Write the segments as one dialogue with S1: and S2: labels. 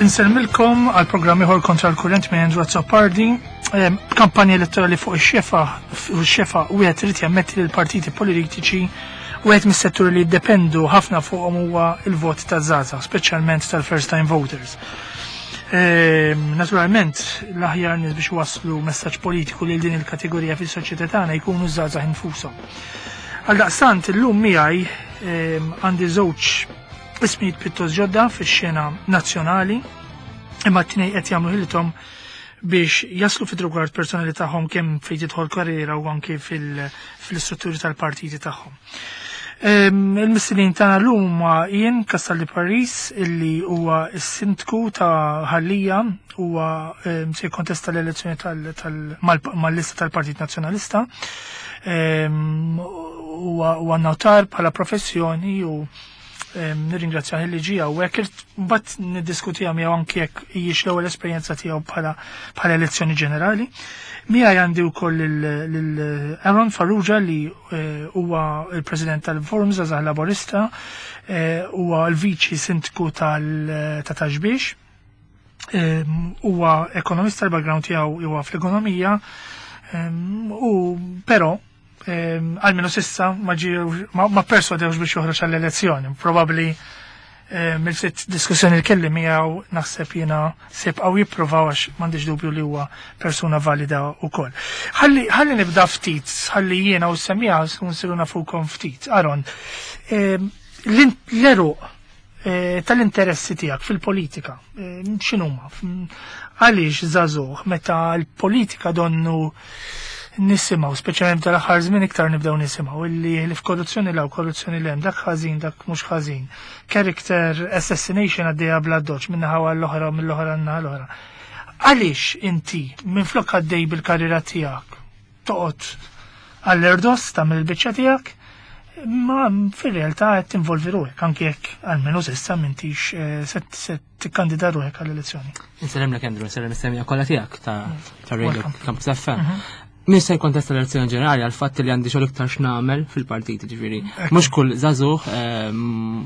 S1: Insellmilkom għal programm ieħor kontra l-kurrent minn Andrew Azzopardi. Kampanja elettorali fuq ix-xefa, fuq ix-xefa wieħed irid jammetti li l-partiti politiċi wieħed mis-setturi li jiddependu ħafna fuqhom huwa l-vot taż-żgħażagħ, speċjalment tal-first time voters. Naturalment, l-aħjar nies biex waslu messaġġ politiku lil din il-kategorija fis-soċjetà tagħna jkunu żgħażagħ infushom. Għaldaqstant illum miegħi għandi żewġ ismijiet pjuttost ġodda fix-xena nazzjonali, imma t-tnejn qed jagħmlu ħilithom biex jaslu fid-rigward personali tagħhom kemm fejn tidħol karriera u anki fil-istrutturi tal-partiti tagħhom. Il-mistednin tagħna llum huma Ian Castaldi Paris illi huwa s-sindku ta' Ħal Lija, huwa se jikkontesta l-elezzjoni mal-lista tal-Partit Nazzjonalista. Huwa notar bħala professjoni u nirringrazzjah li ġie hawnhekk. Mbagħad niddiskutiha miegħu anki jekk hijiex l-ewwel esperjenza tiegħu bħala elezzjoni ġenerali. Miegħi għandi wkoll lil Aaron Farrugia li huwa il-President tal-Forum Żgħażagħ Laburista, huwa l-Viċi Sindku ta' Ta' Xbiex. Huwa ekonomista, l-background tiegħu huwa fl-ekonomija, u però għalmenu sissa ma ġiew, ma perswadewx biex joħroġ għall-elezzjoni. Probabbli mill-ftit diskussjoni li kelli miegħu naħseb jiena se jibqgħu jippruvaw għax m'għandix dubju li huwa persuna valida wkoll. Ħalli nibda ftit, ħalli jiena u semmiha nsiru nafukom ftit. Aaron, l-eruq tal-interessi tiegħek fil-politika, x'inhuma? Għaliex żagħżugħ meta l-politika donnu nisimgħu, speċjalment tal-aħħar żmien iktar nibdew nisimgħu illi li f'korruzzjoni law, korruzzjoni lem, dak ħażin, dak mhux ħażin. Character assassination għaddejja bla doċ minn naħa għall-oħra u mill-oħra għan-naħa l-oħra. Għaliex inti minflok għaddej bil-karriera tiegħek toqgħod għall-erdos tagħmel il-biċċa tiegħek, ma fir-realtà qed tinvolvi ruħek anke jekk almenu s'issa m'intix se tikkandida ruħek għall-elezzjoni.
S2: Insellem lek Andrew, insellem is-semija kollha tiegħek ta' Radio Campus FM. Min se jkontesta l-elezzjoni ġenerali għal fatt li għandi xogħol iktar x'nagħmel fil-partit, ġifieri. Mhux kull żagħżugħ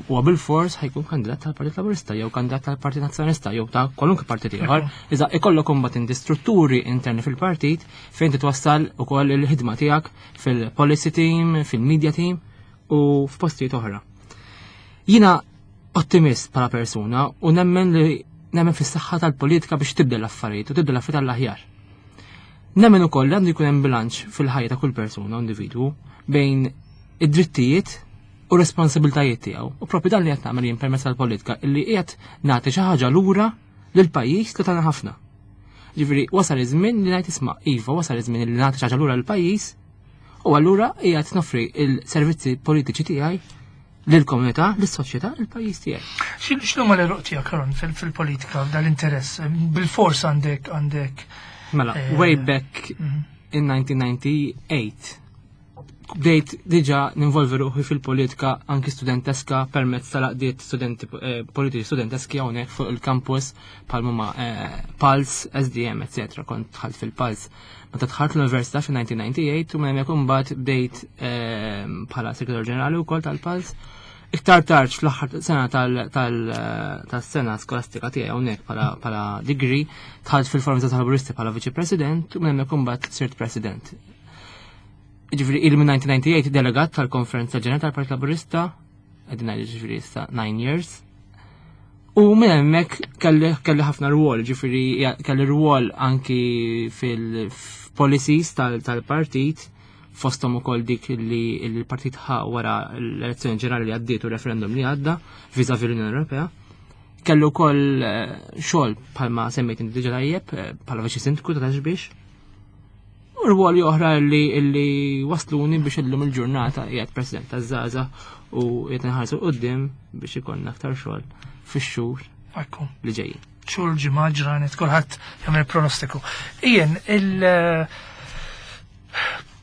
S2: huwa bil-fors ħajkun kandidat tal-Partit Laburista jew kandidat tal-Partit Nazzjonalista jew ta' kwalunkwe partit ieħor. Iżda ikollok imbagħad inti strutturi interni fil-partit fejn titwassal ukoll il-ħidma tiegħek fil-policy team, fil-media team u f'postijiet oħra. Jiena ottimist bħala persuna u nemmen li nemmen fis-saħħa tal-politika biex tibdel l-affarijiet u tibdel l-affarijiet għall-aħjar. Nemmen ukoll li għandu jkun hemm bilanċ fil-ħajja ta' kull persuna u individwu bejn id-drittijiet u responsabiltajiet tiegħu. U propju dan li qed nagħmel jien permezz tal-politika illi qiegħed nagħti xi ħaġa lura lill-pajjiż li tagħna ħafna. Ġifieri wasal iż-żmien li ngħid isma' iva, wasal iż-żmien li nagħti xi ħaġa lura lill-pajjiż u allura qiegħed noffri il-servizzi politiċi tiegħi lill-komunità, lis-soċjetà, il-pajjiż tiegħi.
S1: X'inhuma l-eruq tiegħek, Aaron, fil-politika dal-interess? Bil-fors għandek
S2: Mela, way back in 1998 bdejt diġà ninvolvi ruħi fil-politika anki studenteska permezz tal-għaqdiet studenti politiċi studenteski hawnhekk fuq il-campus bħal huma Pulse, SDM, eccetera. Kont dħalt fil-Pulse. Meta dħalt l-università fil-1998 u minn hemmhekk imbagħad bdejt bħala segretarju ġenerali wkoll tal-Pulse. Iktar tard fl-aħħar sena tas-sena skolastika tiegħi hawnhekk bħala degree dħalt fil-Forum tal-Laburisti bħala Viċi President u minn hemmhekk imbagħad sirt President. Ġifieri il minn 1998 delegat tal-Konferenza Ġenerali tal-Partit Laburista, qegħdin ngħidu ġifieri issa 9 years. U minn hemmhekk kelli ħafna rwol, ġifieri kelli rwol anki fil-policies tal-partit, fosthom ukoll dik li l-partit ħa wara l-elezzjoni ġenerali li għaddiet u referendum li għadda vis-à-vis l-Unjoni Ewropea. Kellu wkoll xogħol bħalma semmejt inti diġà tajjeb bħala viċi sindku ta' Ta' Xbiex. U rwoli oħra li wasluni biex illum il-ġurnata qiegħed President taż-Żgħażagħ u qiegħed inħarsu quddiem biex ikollna aktar xogħol fix-xhur li ġejjin.
S1: Xhur, ġimgħa, ġranet, kulħadd jagħmel pronostiku. Ian, il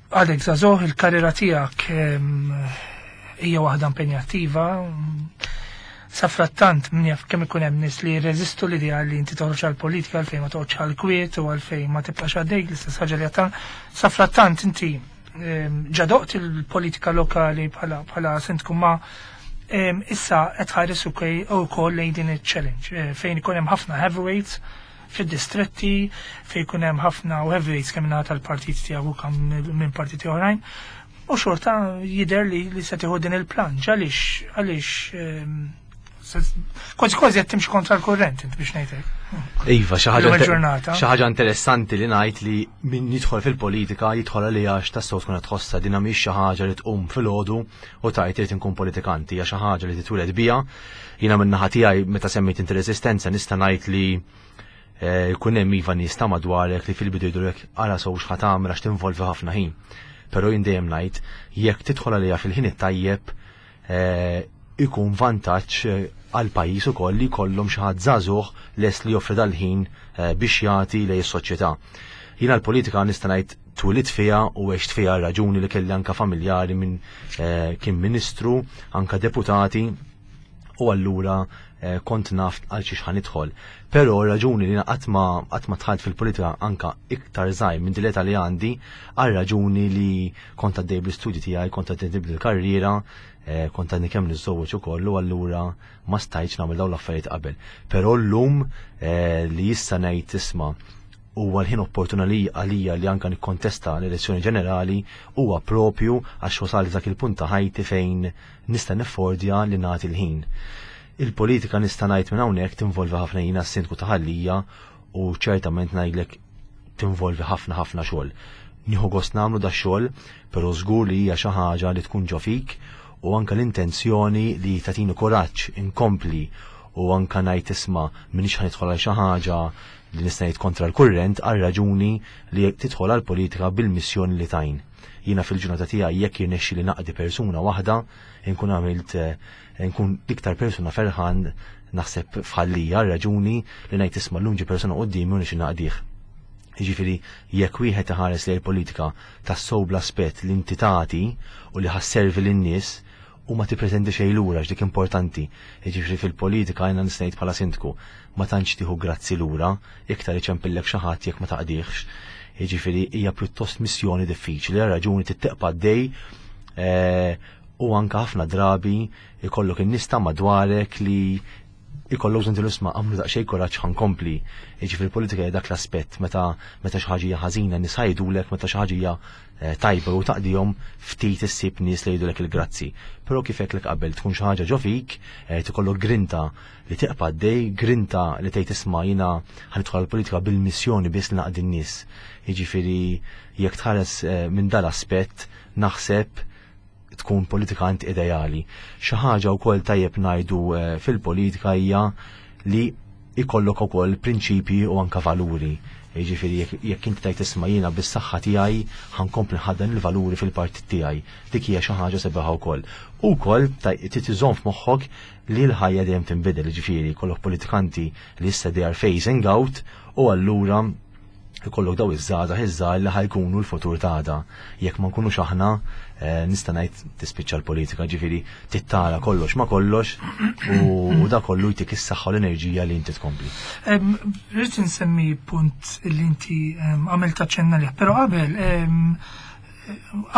S1: għadek żagħżugħ, il-karriera tiegħek hija waħda impenjattiva. Safrattant min jaf kemm ikun hemm nies li jirreżistu l-idea li inti toħroġ għall-politika għalfejn ma toqgħodx għall-kwiet u għalfejn ma tibqax għaddej l-istess ħaġa li għadta. Safrattant inti ġadoqt il-politika lokali bħala sindku ma Issa qed tħares ukoll lejn din iċ-challenge fejn ikun hemm ħafna heavyweights fid-distretti, fejn ikun hemm ħafna heavyweights kemm naħa tal-partit tiegħu u kemm minn partiti oħrajn. U xorta jidher li se tieħu din il-plunge għaliex kważi kważi qed timxi kontra l-kurrent int biex ngħidlek.
S3: Iva, xi ħaġa interessanti li ngħid li min jidħol fil-politika jidħol għalija għax tassew tkun qed tħossha din mhix xi ħaġa li tqum filgħodu u tgħid irid inkun politikanti, hija xi ħaġa li titwieled biha. Jiena min-naħa tiegħi meta semmejt inti resistenza nista' ngħid li jkun hemm iva nies ta' madwarek li fil-bidu jgħidulek ara sew x'ħa tagħmel għax tinvolvi ħafna ħin. Però jien dejjem ngħid jekk tidħol għaliha fil-ħin it-tajjeb ikun vantaġġ għal pajjiż ukoll li jkollhom xi ħadd żagħżugħ lest li joffri dal-ħin biex jagħti lejn is-soċjetà. Jiena l-politika nista' ngħid twilidt fiha u għext fiha raġuni li kelli anka familjari minn kien ministru, anka deputati u allura kont naf għal xiex ħa nidħol. Però raġuni li qatt ma qatt ma dħalt fil-politika anka iktar żgħir minn din l-età li għandi għal raġuni li kont għaddej bl-istudji tiegħi, kont għaddej bil-karriera, kont għadni kemm niżżewweġ ukoll u allura ma stajtx nagħmel dawn l-affarijiet qabel. Però llum li issa ngħid isma' huwa l-ħin opportuna li għalija li anka nikkontesta l-elezzjoni ġenerali huwa propju għax wasal dak il-punt ta' ħajti fejn nista' niffordja li nagħti l-ħin. Il-politika nista' ngħid minn hawnhekk tinvolvi ħafna jiena s-sindku ta' Ħal Lija u ċertament ngħidlek tinvolvi ħafna ħafna xogħol. Nieħu gost nagħmlu da xogħol, però żgur li hija xi ħaġa li tkun ġo fik u anka l-intenzjoni li tagħtini kuraġġ inkompli u anka ngħid isma' m'iniex ħa nidħol għal xi ħaġa li nista' ngħid kontra l-kurrent għal raġuni li tidħol għal politika bil-missjoni li tajn. Jiena fil-ġurnata tiegħi jekk jirnexxi li naqdi persuna waħda, inkun għamilt nkun iktar persuna ferħan naħseb f'Ħal Lija raġuni li ngħid isma' llum ġie persuna quddiemi u nixi naqdih. Jiġifieri jekk wieħed iħares lejn il-politika tassew bl-aspett li inti tagħti u li ħa sservi lin-nies u ma tippretendi xejn lura dik importanti. Jiġifieri fil-politika jiena nista' ngħid bħala sindku ma tantx tieħu grazzi lura, iktar iċempillek xi ħadd jekk ma taqdihx. Jiġifieri hija pjuttost missjoni diffiċli, raġuni titteqpa' dej u anka ħafna drabi ikollok in-nies ta' madwarek li ikollok bżonn isma' għamlu daqsxejn kuraġġ ħa nkompli. Jiġifieri politika hija dak l-aspett meta meta xi ħaġa hija ħażina nies jgħidulek, meta xi ħaġa hija tajba u taqdihom ftit issib nies li jgħidulek il-grazzi. Però kif għedtlek qabel tkun xi ħaġa ġo fik, tikollok grinta li tiqpa' għaddej, grinta li tgħid isma' jiena ħa nidħol għall-politika bil-missjoni biss li naqdi n-nies. Jiġifieri jekk tħares minn dal-aspett naħseb tkun politikant ideali. Xi ħaġa wkoll tajjeb ngħidu fil-politika hija li ikollok ukoll prinċipji u anka valuri. Jiġifieri jekk inti tgħid isma' jiena bis-saħħa tiegħi ħa nkompli nħaddan il-valuri fil-partit tiegħi. Dik hija xi ħaġa sabiħa wkoll. U wkoll trid iżomm f'moħħok li l-ħajja dejjem tinbidel, jiġifieri jkollok politikanti li issa they are phasing out u allura ikollok daw iż-żgħażagħ iż-żgħar li ħa jkunu l-futur tagħna. Jekk ma nkunux aħna, nista' ngħid tispiċċa l-politika, ġifieri tittara kollox ma kollox u da kollu jtik is-saħħa u l-enerġija li inti tkompli.
S1: Rrid insemmi punt li inti għamilt aċċenna lih, però qabel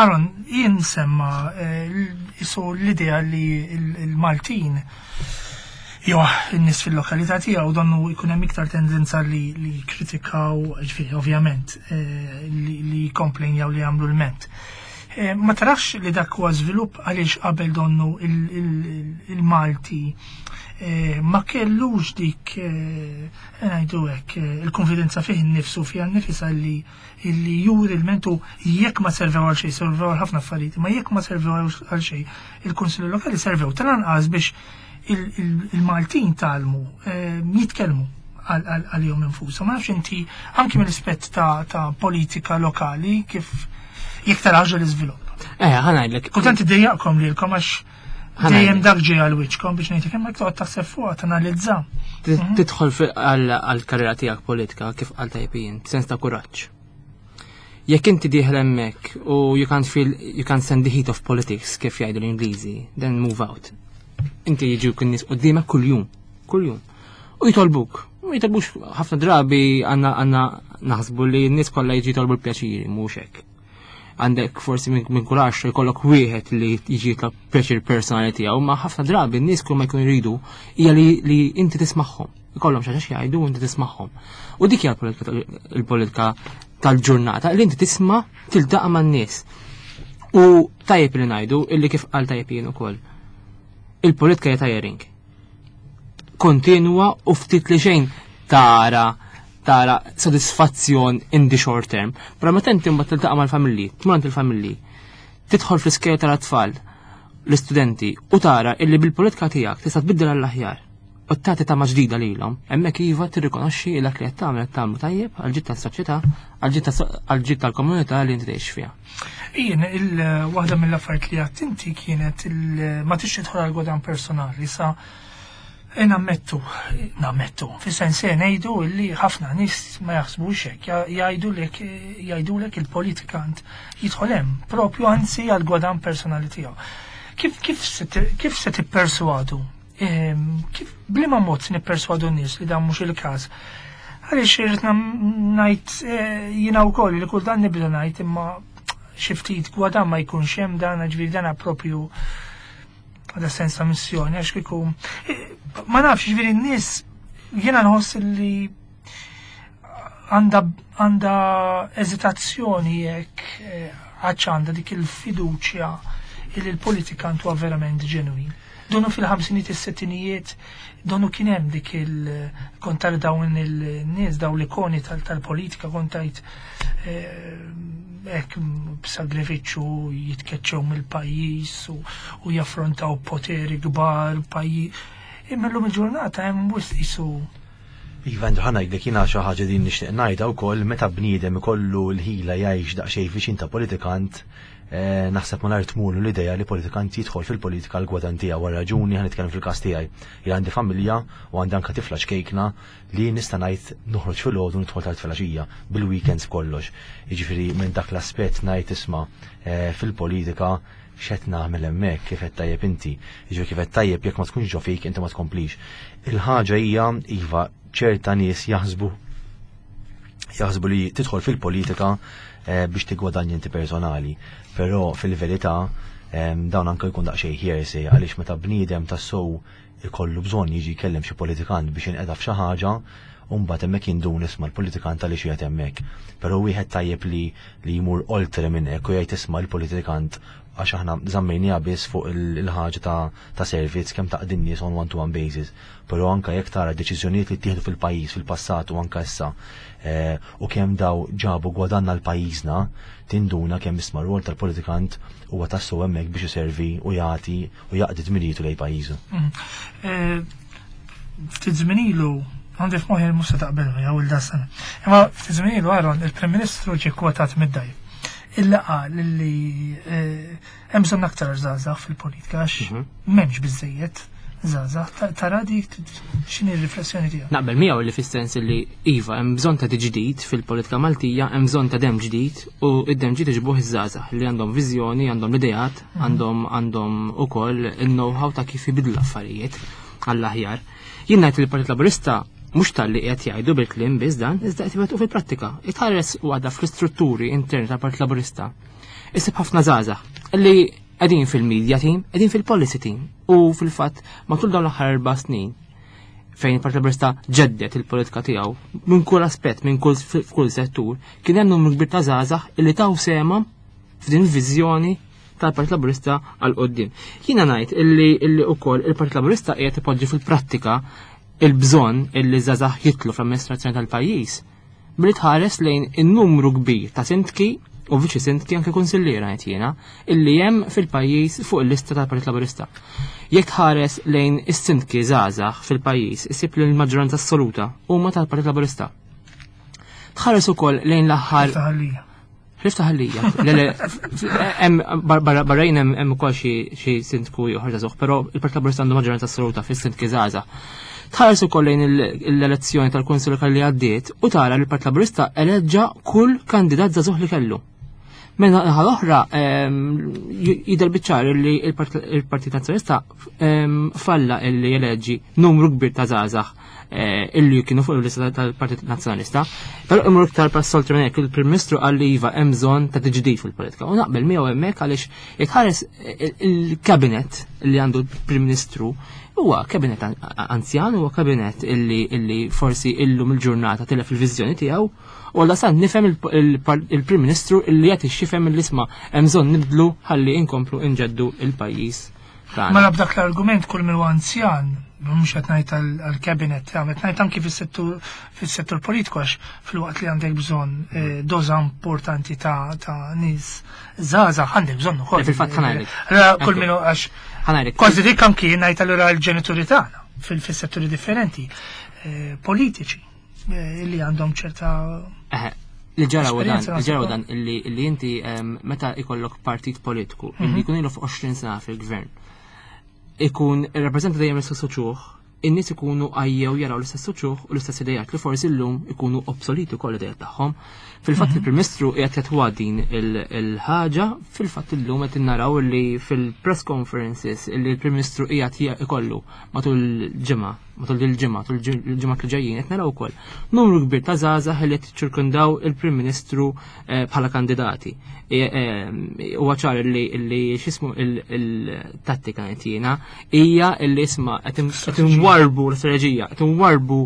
S1: Aaron, jien semma isu l-idea li l-Maltin jew n-nies fil-lokalità tiegħu donnu jkun hemm iktar tendenza li kritikaw, ġifieri ovvjament, li komplejnjaw li jagħmlu l-ment. Ma tarax li dak huwa żvilupp għaliex qabel donnu il-Malti ma kellux dik ngħidu hekk il-konfidenza fih innifsu fiha nnifisha li illi juri l-mentu jekk ma servew għal xejn, servew għal ħafna affarijiet, ma jekk ma servew għal xejn, il-Kunsilli Lokali servew tal-anqas biex il-Maltin tgħallmu jitkellmu għalihom infushom. Ma nafx inti anki mill-ispett ta' politika lokali kif jekk tarax l-iżvilupp.
S2: Ħa ngħidlek.
S1: Kultant iddejjaqkom lilkom għax dejjem dak ġej għal wiċċkom biex ngħidlek imma toqgħod taħseb fuqha tanalizza.
S2: Tidħol għall-karriera tiegħek politika kif qal tajbin, sens ta' kuraġġ. Jekk inti dieħel hemmhekk u you can't feel you can't stand the heat of politics kif jgħidu l-Ingliżi, then move out. Inti jiġu kien nies quddiemek kuljum, kuljum. U jitolbuk. U jitolbux ħafna drabi għandna naħsbu li n-nies kollha jiġi jitolbu l-pjaċiri, mhux hekk. Għandek forsi minn kull għaxra jkollok wieħed li jiġi jitlob pjaċir personali tiegħu, ma ħafna drabi n-nies kull ma jkunu jridu hija li inti tismagħhom. Ikollhom xi ħaġa jgħidu u inti tismagħhom. U dik hija l-politika tal-ġurnata li inti tisma' tiltaqa' man-nies. U tajjeb li ngħidu illi kif qal tajjeb jien ukoll. Il-politika hija tiring. Kontinwa u ftit li xejn tara tara sodisfazzjon in the short term. Però meta inti mbagħad tiltaqa' mal-familji, tmur għand il-familji, tidħol fl-iskejjel tal-atfal, l-istudenti u tara illi bil-politika tiegħek tista' tbiddel għall-aħjar u tagħti tama ġdida lilhom, hemmhekk iva tirrikonoxxi dak li qed tagħmel qed tagħmlu tajjeb għall-ġid tas-soċjetà, għall-ġid tal-komunità li inti tgħix fiha.
S1: Jien il-waħda mill-affarijiet li għadt inti kienet ma tix tidħol għal gwadan personali sa E nammettu, nammettu, fis-sens se ngħidu li ħafna nies ma jaħsbux hekk, jgħidulek jgħidulek il-politikant jidħol hemm propju anzi għal gwadan personali tiegħu. Kif kif se kif se tipperswadu? Ehm, kif bliema mod se nipperswadu n-nies li dan mhux il-każ? Għaliex irrid ngħid eh, jiena wkoll li kultant nibda ngħid imma xi ftit gwadan ma jkunx hemm dan ġifieri dan propju Għada sens ta' missjoni, għax kieku. Eh, ma nafx, ġifieri n-nies jiena nħoss li għandha eżitazzjoni jekk eh, għadx għandha dik il-fiduċja li l-politikant huwa verament ġenwin. Donu fil-ħamsinijiet is-settinijiet, donu kien hemm dik il-kontar dawn il-nies, dawn l-ikoni tal-politika kontajt eh, hekk b'sagrifiċċju jitkeċċew mill-pajjiż u jaffrontaw poteri kbar pajjiż. Imma llum il-ġurnata hemm wisq qisu
S3: Iva, Andrew, ħa ngħidlek jiena xi ħaġa din nixtieq ngħidha wkoll meta bniedem ikollu l-ħila jgħix daqsxejn viċin ta' politikant, eh, naħseb malajr tmurlu l-idea li politikant jidħol fil-politika għal gwadan tiegħu għal raġuni ħa nitkellem fil-każ tiegħi. Jien għandi familja u għandi anke tifla ċkejkna li nista' ngħid noħroġ filgħodu nidħol tard filgħaxija bil-weekends b'kollox. Jiġifieri minn dak l-aspett ngħid isma' eh, fil-politika x'qed nagħmel hemmhekk kif qed tajjeb inti. Jiġifieri kif qed tajjeb jekk ma tkunx ġo fik inti ma tkomplix. Il-ħaġa hija iva ċerta nies jaħsbu jaħsbu li tidħol fil-politika eh, biex tigwadanja inti personali, però fil-verità eh, dawn anke jkun daqsxejn hearsay għaliex meta bniedem tassew ikollu bżonn jiġi jkellem xi politikant biex jinqeda f'xi ħaġa, u mbagħad hemmhekk jindun isma' l-politikant għaliex qiegħed hemmhekk. Però wieħed tajjeb li li jmur oltre minn hekk u jgħid isma' l-politikant għax aħna żammejniha biss fuq il-ħaġa ta' ta' servizz kemm taqdi n-nies on one to one basis. Però anke jekk tara deċiżjonijiet li ttieħdu fil-pajjiż fil-passat u anke issa eh, u kemm daw ġabu gwadanna l-pajjiżna, tinduna kemm isma' rwol tal-politikant huwa tassew hemmhekk biex iservi u jagħti u jaqdi dmirijitu lejn pajjiżu. Mm.
S1: Eh, ftit żmien ilu għandi f'moħħi mhux se taqbel miegħu il sena. Imma ftit żmien ilu Aaron il-Prim Ministru ġie kwotat mid-dajb. Illa qal li eh, hemm bżonn aktar żgħażagħ fil-politika għax mhm. m'hemmx biżejjed żgħażagħ. Tara dik x'inhi r-riflessjoni tiegħek?
S2: Naqbel miegħu li fis-sens li iva hemm bżonn ta' ġdid fil-politika Maltija, hemm bżonn ta' dem ġdid u id-dem ġdid iġibuh iż-żgħażagħ li għandhom viżjoni, għandhom l-ideat, mhm. għandhom għandhom ukoll il-know-how ta' kif jibidlu l-affarijiet għall-aħjar. Jien ngħid li l-Partit Laburista mhux talli qiegħed jgħidu bil-kliem biss dan, iżda qed iwettqu fil-prattika. Itħares u għadha fl-istrutturi interni tal-Partit Laburista. Isib ħafna żgħażagħ li qegħdin fil-media team, qegħdin fil-policy team u fil-fatt matul dawn l-aħħar erba' snin fejn il-Partit Laburista ġeddet il-politika tiegħu minn kull aspett, minn kull f'kull settur, kien hemm numru kbir ta' żgħażagħ illi taw sema f'din il-viżjoni tal-Partit Laburista għal qoddim. Jiena ngħid illi illi wkoll il-Partit Laburista qiegħed ipoġġi fil-prattika il-bżonn illi żgħażagħ jitlu fl-amministrazzjoni tal-pajjiż billi tħares lejn in-numru kbir ta' sindki u viċi sindki anke kunsilliera ngħid jiena illi hemm fil-pajjiż fuq il-lista tal-Partit Laburista. Jekk tħares lejn is-sindki żgħażagħ fil-pajjiż isib li l-maġġoranza assoluta huma tal-Partit Laburista. Tħares ukoll lejn l-aħħar Ħlif ta' ħallija. Le, le, hemm barrajn hemm ukoll xi sindku ieħor żagħżugħ, però il-Partit Laburista għandu maġġoranza assoluta fis-sindki żgħażagħ. Tħares ukoll lejn l-elezzjoni tal-Kunsill Lokali li għaddiet u tara li l-Partit Laburista eleġġa kull kandidat żagħżugħ li kellu. Minn naħa l-oħra jidher biċ-ċar li il-Partit Nazzjonalista falla illi jeleġġi numru kbir ta' żgħażagħ illi kienu fuq il-lista tal-Partit Nazzjonalista. Però imur iktar passolti minn hekk, il-Prim Ministru qal li iva hemm bżonn ta' tiġdid fil-politika. U naqbel miegħu hemmhekk għaliex jekk ħares il-kabinet li għandu l-Prim Ministru huwa kabinet anzjan, huwa kabinet illi forsi illum il-ġurnata tilef il-viżjoni tiegħu. U għalla san nifhem il-Prim Ministru illi qed ixxifhem l-isma' hemm bżonn nibdlu ħalli inkomplu inġeddu il-pajjiż tagħna.
S1: Mela b'dak l-argument kull min huwa anzjan, mhux qed ngħid għall-cabinet, qed ngħid anki fis-settur politiku għax filwaqt li għandek bżonn doża importanti ta' nies żgħażagħ għandek bżonn ukoll.
S2: Fil-fatt ħa ngħidlek.
S1: Allura kull min hu għax
S2: Ħa ngħidlek.
S1: Kważi dik anki ngħid allura l-ġenituri tagħna fis-setturi differenti politiċi illi għandhom ċerta
S2: Li ġara u dan,
S1: esperjenza
S2: li ġara u
S1: naħseb.
S2: dan illi inti meta ikollok partit politiku illi jkun ilu fuq 20 sena fil-gvern, ikun irrappreżenta dejjem l-istess uċuħ, in-nies ikunu għajjew jaraw l-istess uċuħ u l-istess idejat li forsi llum ikunu obsoleti wkoll l-idejat tagħhom. Fil-fatt il-Prim Ministru qiegħed jatwa din il-ħaġa, fil-fatt illum qed naraw li fil-press conferences li l-Prim Ministru qiegħed ikollu matul il-ġimgħa, matul il-ġimgħa, matul il-ġimgħa li ġejjin qed naraw ukoll numru kbir ta' żgħażagħ li qed jiċċirkundaw il-Prim Ministru bħala kandidati. Huwa ċar li x'ismu il-tattika qed jiena hija li isma' qed inwarbu l-istrateġija, qed inwarbu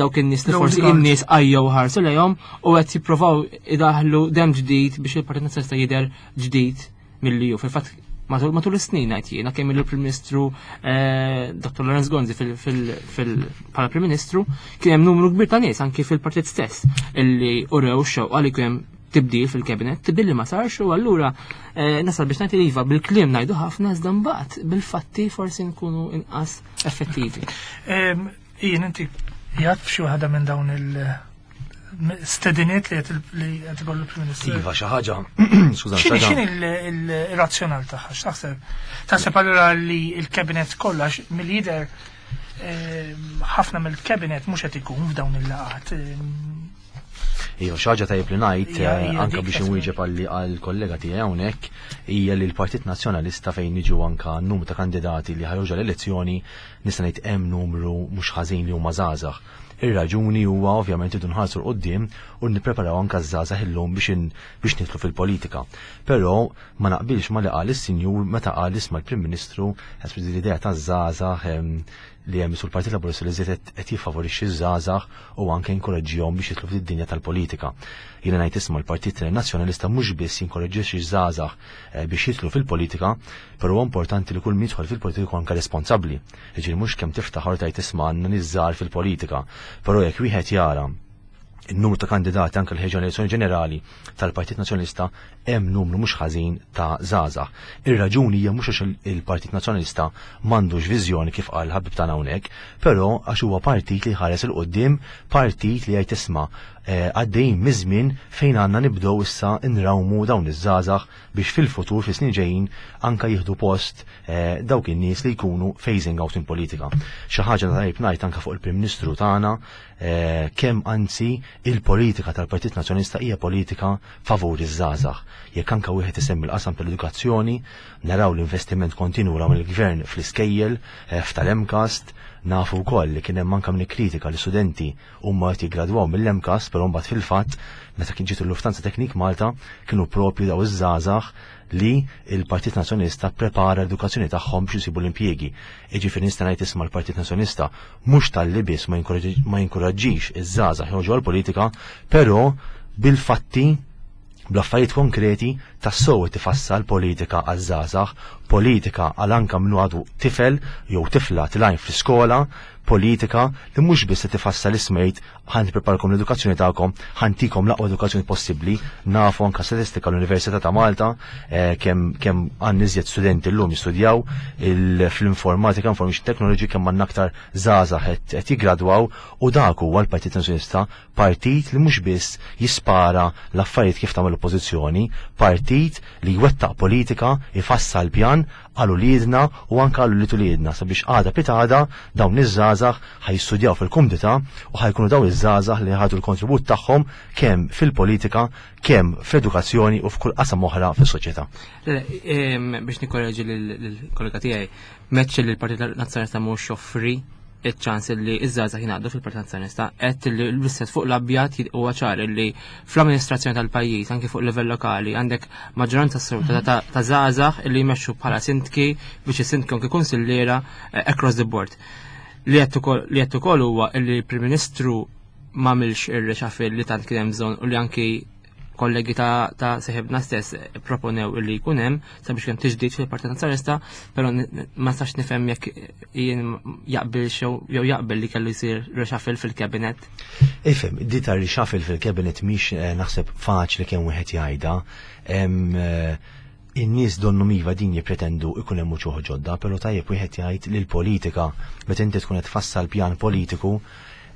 S2: dawk in-nies li
S1: L-old
S2: forsi
S1: guard.
S2: in-nies għajjew ħarsu lejhom u qed jippruvaw idaħlu dem ġdid biex il-Partit Nazzjonalista jidher ġdid milli hu. Fil-fatt matul is-snin ngħid jiena kemm il-Prim Ministru Dottor Lawrence Gonzi bħala Prim Ministru kien hemm numru kbir ta' nies anki fil-partit stess illi urew xewqa li kien hemm tibdil fil-kabinet, tibdil li ma sarx u allura nasal biex ngħid li iva bil-kliem ngħidu ħafna iżda mbagħad bil-fatti forsi nkunu inqas effettivi.
S1: Jien inti jgħid f'xi waħda minn dawn il- stediniet li qed ikollu l-Prim Ministru.
S3: Iva, xi ħaġa, skużani,
S1: X'inhi
S3: xi ħaġa.
S1: x'inhi il-razzjonal tagħha, x'taħseb? Taħseb allura li l-kabinet kollha mill-lider ħafna mill-kabinet mhux qed ikun f'dawn il-laqgħat.
S3: Iva, xi ħaġa tajjeb li ngħid,
S1: Hija, hija
S3: anke
S1: dik
S3: biex
S1: taħseb.
S3: inwieġeb għall-kollega tiegħi hawnhekk, hija li l-Partit Nazzjonalista fejn niġu anke numru ta' kandidati li ħarġu l-elezzjoni nista' ngħid hemm numru mhux ħażin li huma żgħażagħ. Ir-raġuni huwa ovvjament idu nħarsu l-qudiem u nippreparaw anke ż-żgħażagħ illum biex nidħlu fil-politika. Però ma naqbilx ma li qal is-sinjur meta qal isma' l-Prim Ministru ħasbu l-idea taż-żgħażagħ li hemm sul Partit Laburista li żied qed jiffavorixxi ż-żgħażagħ u anke jinkoraġġihom biex jidħlu fid-dinja tal-politika. Jiena ngħid isma' l-Partit Nazzjonalista mhux biss jinkoraġġixxi ż-żgħażagħ biex jidħlu fil-politika, però huwa importanti li kull min jidħol fil-politika jkun anke responsabbli. Jiġifieri mhux kemm tiftaħ u tgħid isma' għandna nies żgħar fil-politika, però jekk wieħed jara il-numru ta' kandidati anke l-ħeġa l-elezzjoni ġenerali tal-Partit Nazzjonalista hemm numru mhux ħażin ta' żgħażagħ. Ir-raġuni hija mhux għax il-Partit Nazzjonalista m'għandux viżjoni kif qal ħabib tagħna hawnhekk, però għax huwa partit li ħares il quddiem, partit li jgħid isma' għaddejjin miż-żmien fejn għandna nibdew issa nrawmu dawn iż-żgħażagħ biex fil-futur fis-snin ġejjin anke jieħdu post dawk in-nies li jkunu phasing out in politika. Xi ħaġa tajjeb ngħid anke fuq il-Prim Ministru tagħna kemm anzi il-politika tal-Partit Nazzjonalista hija politika favur iż-żgħażagħ. Jekk anke wieħed isemmi l-qasam tal-edukazzjoni, naraw l-investiment kontinwu raw mill-gvern fl-iskejjel, f'tal-MCAST, nafu wkoll li kien hemm anke min ikkritika li studenti huma qed jiggradwaw mill-MCAST, però mbagħad fil-fatt meta kien ġiet il-Lufthansa Technik Malta kienu propju daw iż-żgħażagħ li il-Partit Nazzjonalista prepara l-edukazzjoni tagħhom biex isibu l-impjiegi. Jiġifieri nista' ngħid isma' l-Partit Nazzjonalista mhux tal-li biss ma jinkoraġġix iż-żgħażagħ joħorġu għall-politika, però bil-fatti bl-affarijiet konkreti tassew tifassal politika għaż-żgħażagħ, politika għal anke minnu għadu tifel jew tifla tilgħin fl-iskola, politika li mhux biss se tifassal ismejt ħan nippreparkom l-edukazzjoni tagħkom, ħantikom l-aqwa edukazzjoni possibbli. Nafu anke statistika l-Università ta' Malta kemm għandna iżjed studenti llum jistudjaw fl-informatika, information technology, kemm għandna aktar żgħażagħ qed jiggradwaw, u dak huwa l-Partit Nazzjonalista, partit li mhux biss jispara l-affarijiet kif tagħmel l-oppożizzjoni, partit partit li jwettaq politika, jfassal pjan għal uliedna u anke għal ulied uliedna sabiex għada pitgħada dawn iż-żgħażagħ ħa jistudjaw fil-kumdità u ħa jkunu dawn iż-żgħażagħ li ħadu l-kontribut tagħhom kemm fil-politika, kemm fl-edukazzjoni u f'kull qasam oħra fis-soċjetà.
S2: Biex nikkoreġi lill-kollega tiegħi, m'għedtx li l-Partit Nazzjonalista mhux joffri iċ-ċans li iż-żgħażagħ jingħaqdu fil-Partit Nazzjonalista, qed li l-iswed fuq l-abjad huwa ċar li fl-amministrazzjoni tal-pajjiż anke fuq livell lokali għandek maġġoranza assoluta ta' żgħażagħ li jmexxu bħala sindki, viċi sindki anke kunsilliera across the board. Li qed ukoll huwa li l-Prim Ministru m'għamilx ir-reshuffle li tant kien hemm bżonn u li anki kollegi ta' seħibna stess proponew illi jkun hemm sabiex kemm tiġdid fil-Partit Nazzjonalista, però ma nistax nifhem jekk jien jaqbilx jew jaqbel li kellu jsir reshuffle fil-cabinet.
S3: Ifhem, di ta' reshuffle fil-cabinet mhix naħseb faċli kemm wieħed jgħidha. In-nies donnu miva din jippretendu ikun hemm uċuħ ġodda, però tajjeb wieħed jgħid li l-politika meta inti tkun qed tfassal pjan politiku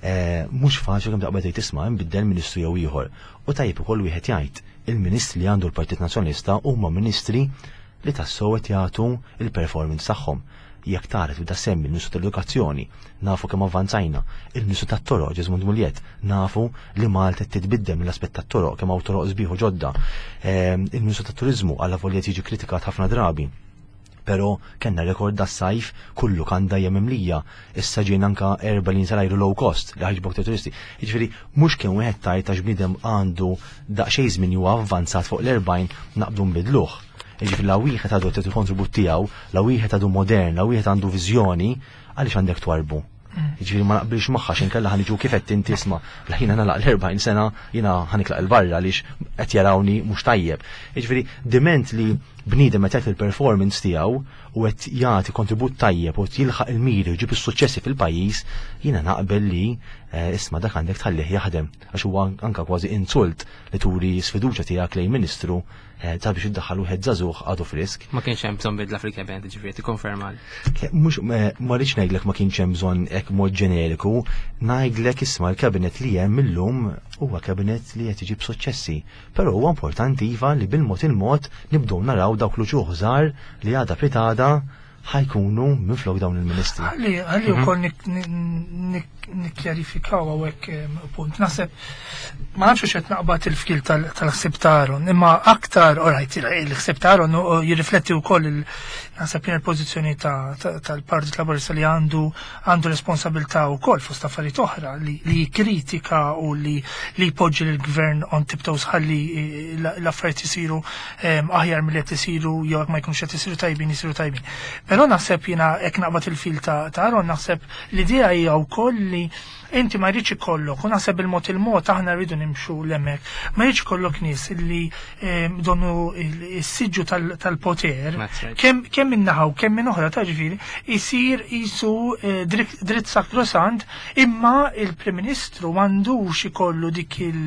S3: mhux faċli kemm taqbad tgħid tisma' nbiddel ministru jew ieħor. U tajjeb ukoll wieħed jgħid il-ministri li għandu l-Partit Nazzjonalista huma ministri li tassew qed jagħtu il-performance tagħhom. Jekk tara tibda semmi l-Ministru tal-Edukazzjoni, nafu kemm avvanzajna, il-Ministru tat-Toroq Jesmond Mugliett, nafu li Malta qed titbiddel mill-aspett tat-toroq kemm hawn toroq sbieħ u ġodda. Il-Ministru tat-Turiżmu alla volja jiġi kritikat ħafna drabi. Però kellna rekord das-sajf kullu kanda hija mimlija. Issa ġejna anka erba' linji tal-ajru low cost li ħaġbok ta' turisti. Jiġifieri mhux kemm wieħed tajt għax bniedem għandu daqsxejn żmien huwa avvanzat fuq l-40 naqbdu nbidluh. Jiġifieri la wieħed għadu qed il-kontribut tiegħu, la wieħed għadu modern, la wieħed għandu viżjoni, għaliex għandek twarbu. Jiġifieri ma naqbilx magħha x'inkella ħa niġu kif qed inti isma' la jiena nagħlaq l-40 sena jiena ħa nitlaq 'il barra għaliex qed jarawni mhux tajjeb. Jiġifieri diment li bniedem qed jagħti l-performance tiegħu u qed jagħti kontribut tajjeb u qed jilħaq il-miri u jġib is-suċċessi fil-pajjiż, jiena naqbel li isma' dak għandek tħallih jaħdem għax huwa anka kważi insult li turi sfiduċja tiegħek lejn ministru sabiex iddaħħal wieħed żagħżugħ għadu frisk.
S2: Ma kienx hemm bżonn bidla fil-cabinet, ġifieri tikkonferma.
S3: Mhux ma rridx ngħidlek ma kienx hemm bżonn hekk mod ġeneriku, ngħidlek isma' l-cabinet li hemm illum huwa cabinet li qed iġib suċċessi. Però huwa importanti iva li bil-mod il-mod nibdew naraw dawk l-uċuħ żgħar li għada pitada ħajkunu minflok dawn il-ministri.
S1: Ħalli wkoll nikkjarifikaw hawnhekk punt. Naħseb ma nafx x'qed naqbad il-fkil tal-ħsieb ta' Aaron, imma aktar, alright, il-ħsieb ta' Aaron jirrifletti wkoll naħseb jien il-pożizzjoni tal-Partit Laburista li għandu responsabilità wkoll fost affarijiet oħra li jikkritika u li jpoġġi lill-gvern on tiptoes ħalli l-affarijiet isiru aħjar milli qed isiru jew jekk ma jkunx qed isiru tajbin isiru tajbin. Però naħseb jiena hekk naqbad il-fil ta' Aaron, naħseb l-idea hija wkoll li inti ma jridx ikollok, u naħseb il-mod il-mod aħna rridu nimxu l-hemmhekk, ma jridx ikollok nies li donnu s-siġġu tal-poter, kemm minn naħa u kemm minn oħra, ta' ġifieri, isir qisu dritt sakrosant, imma il-Prim Ministru m'għandux ikollu dik il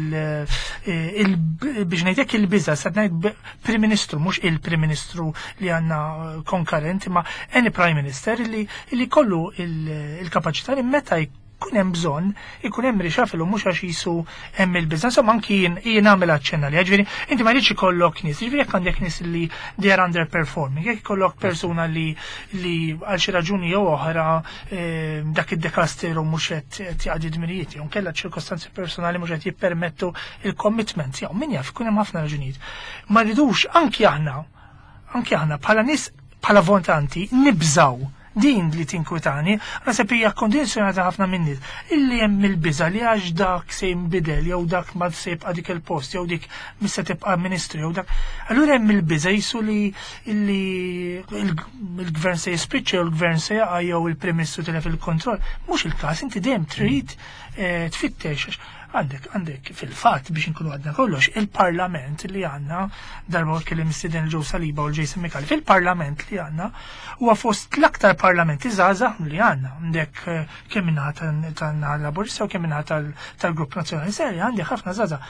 S1: biex ngħidlek il-biża', se ngħid Prim Ministru, mhux il-Prim Ministru li għandna konkarent, imma any Prime Minister li kollu il-kapaċità li meta jkun hemm bżonn ikun hemm reshuffle u mhux għax jisu hemm il-biża'. Insomma anki jien nagħmel aċċenna li ġifieri inti ma jridx ikollok nies, ġifieri jekk għandek nies li they are underperforming, jekk ikollok persuna li għal xi raġuni jew oħra dak id-dekasteru mhux qed jaqdi dmirijiet, jew kellha ċirkostanzi personali mhux qed jippermettu il-commitment, jew min jaf ikun hemm ħafna raġunijiet. Ma rridux anki aħna, anki aħna bħala nies, bħala votanti nibżaw din li tinkwitani, naħseb hija kondizjonata ħafna minn nies illi hemm il-biża' li għax dak se jinbidel jew dak ma se jibqa' dik il-post jew dik mis se tibqa' ministru jew dak. Allura hemm il-biża' jisu li il-gvern se jispiċċa jew il-gvern se jaqa' jew il-Prim Ministru tilef il-kontroll. Mhux il-każ, inti dejjem trid tfittex. Għandek fil-fatt biex inkunu għadna kollox, il-parlament li għandna, darba kelli mistieden il-Joe Saliba u l-Jason Micallef, fil-parlament li għandna huwa fost l-aktar parlamenti żgħażagħ li għandna. Għandek kemm minnaħa tan-naħa Laburista u kemm minnaħa tal-Grupp Nazzjonali Serja, għandek ħafna żgħażagħ.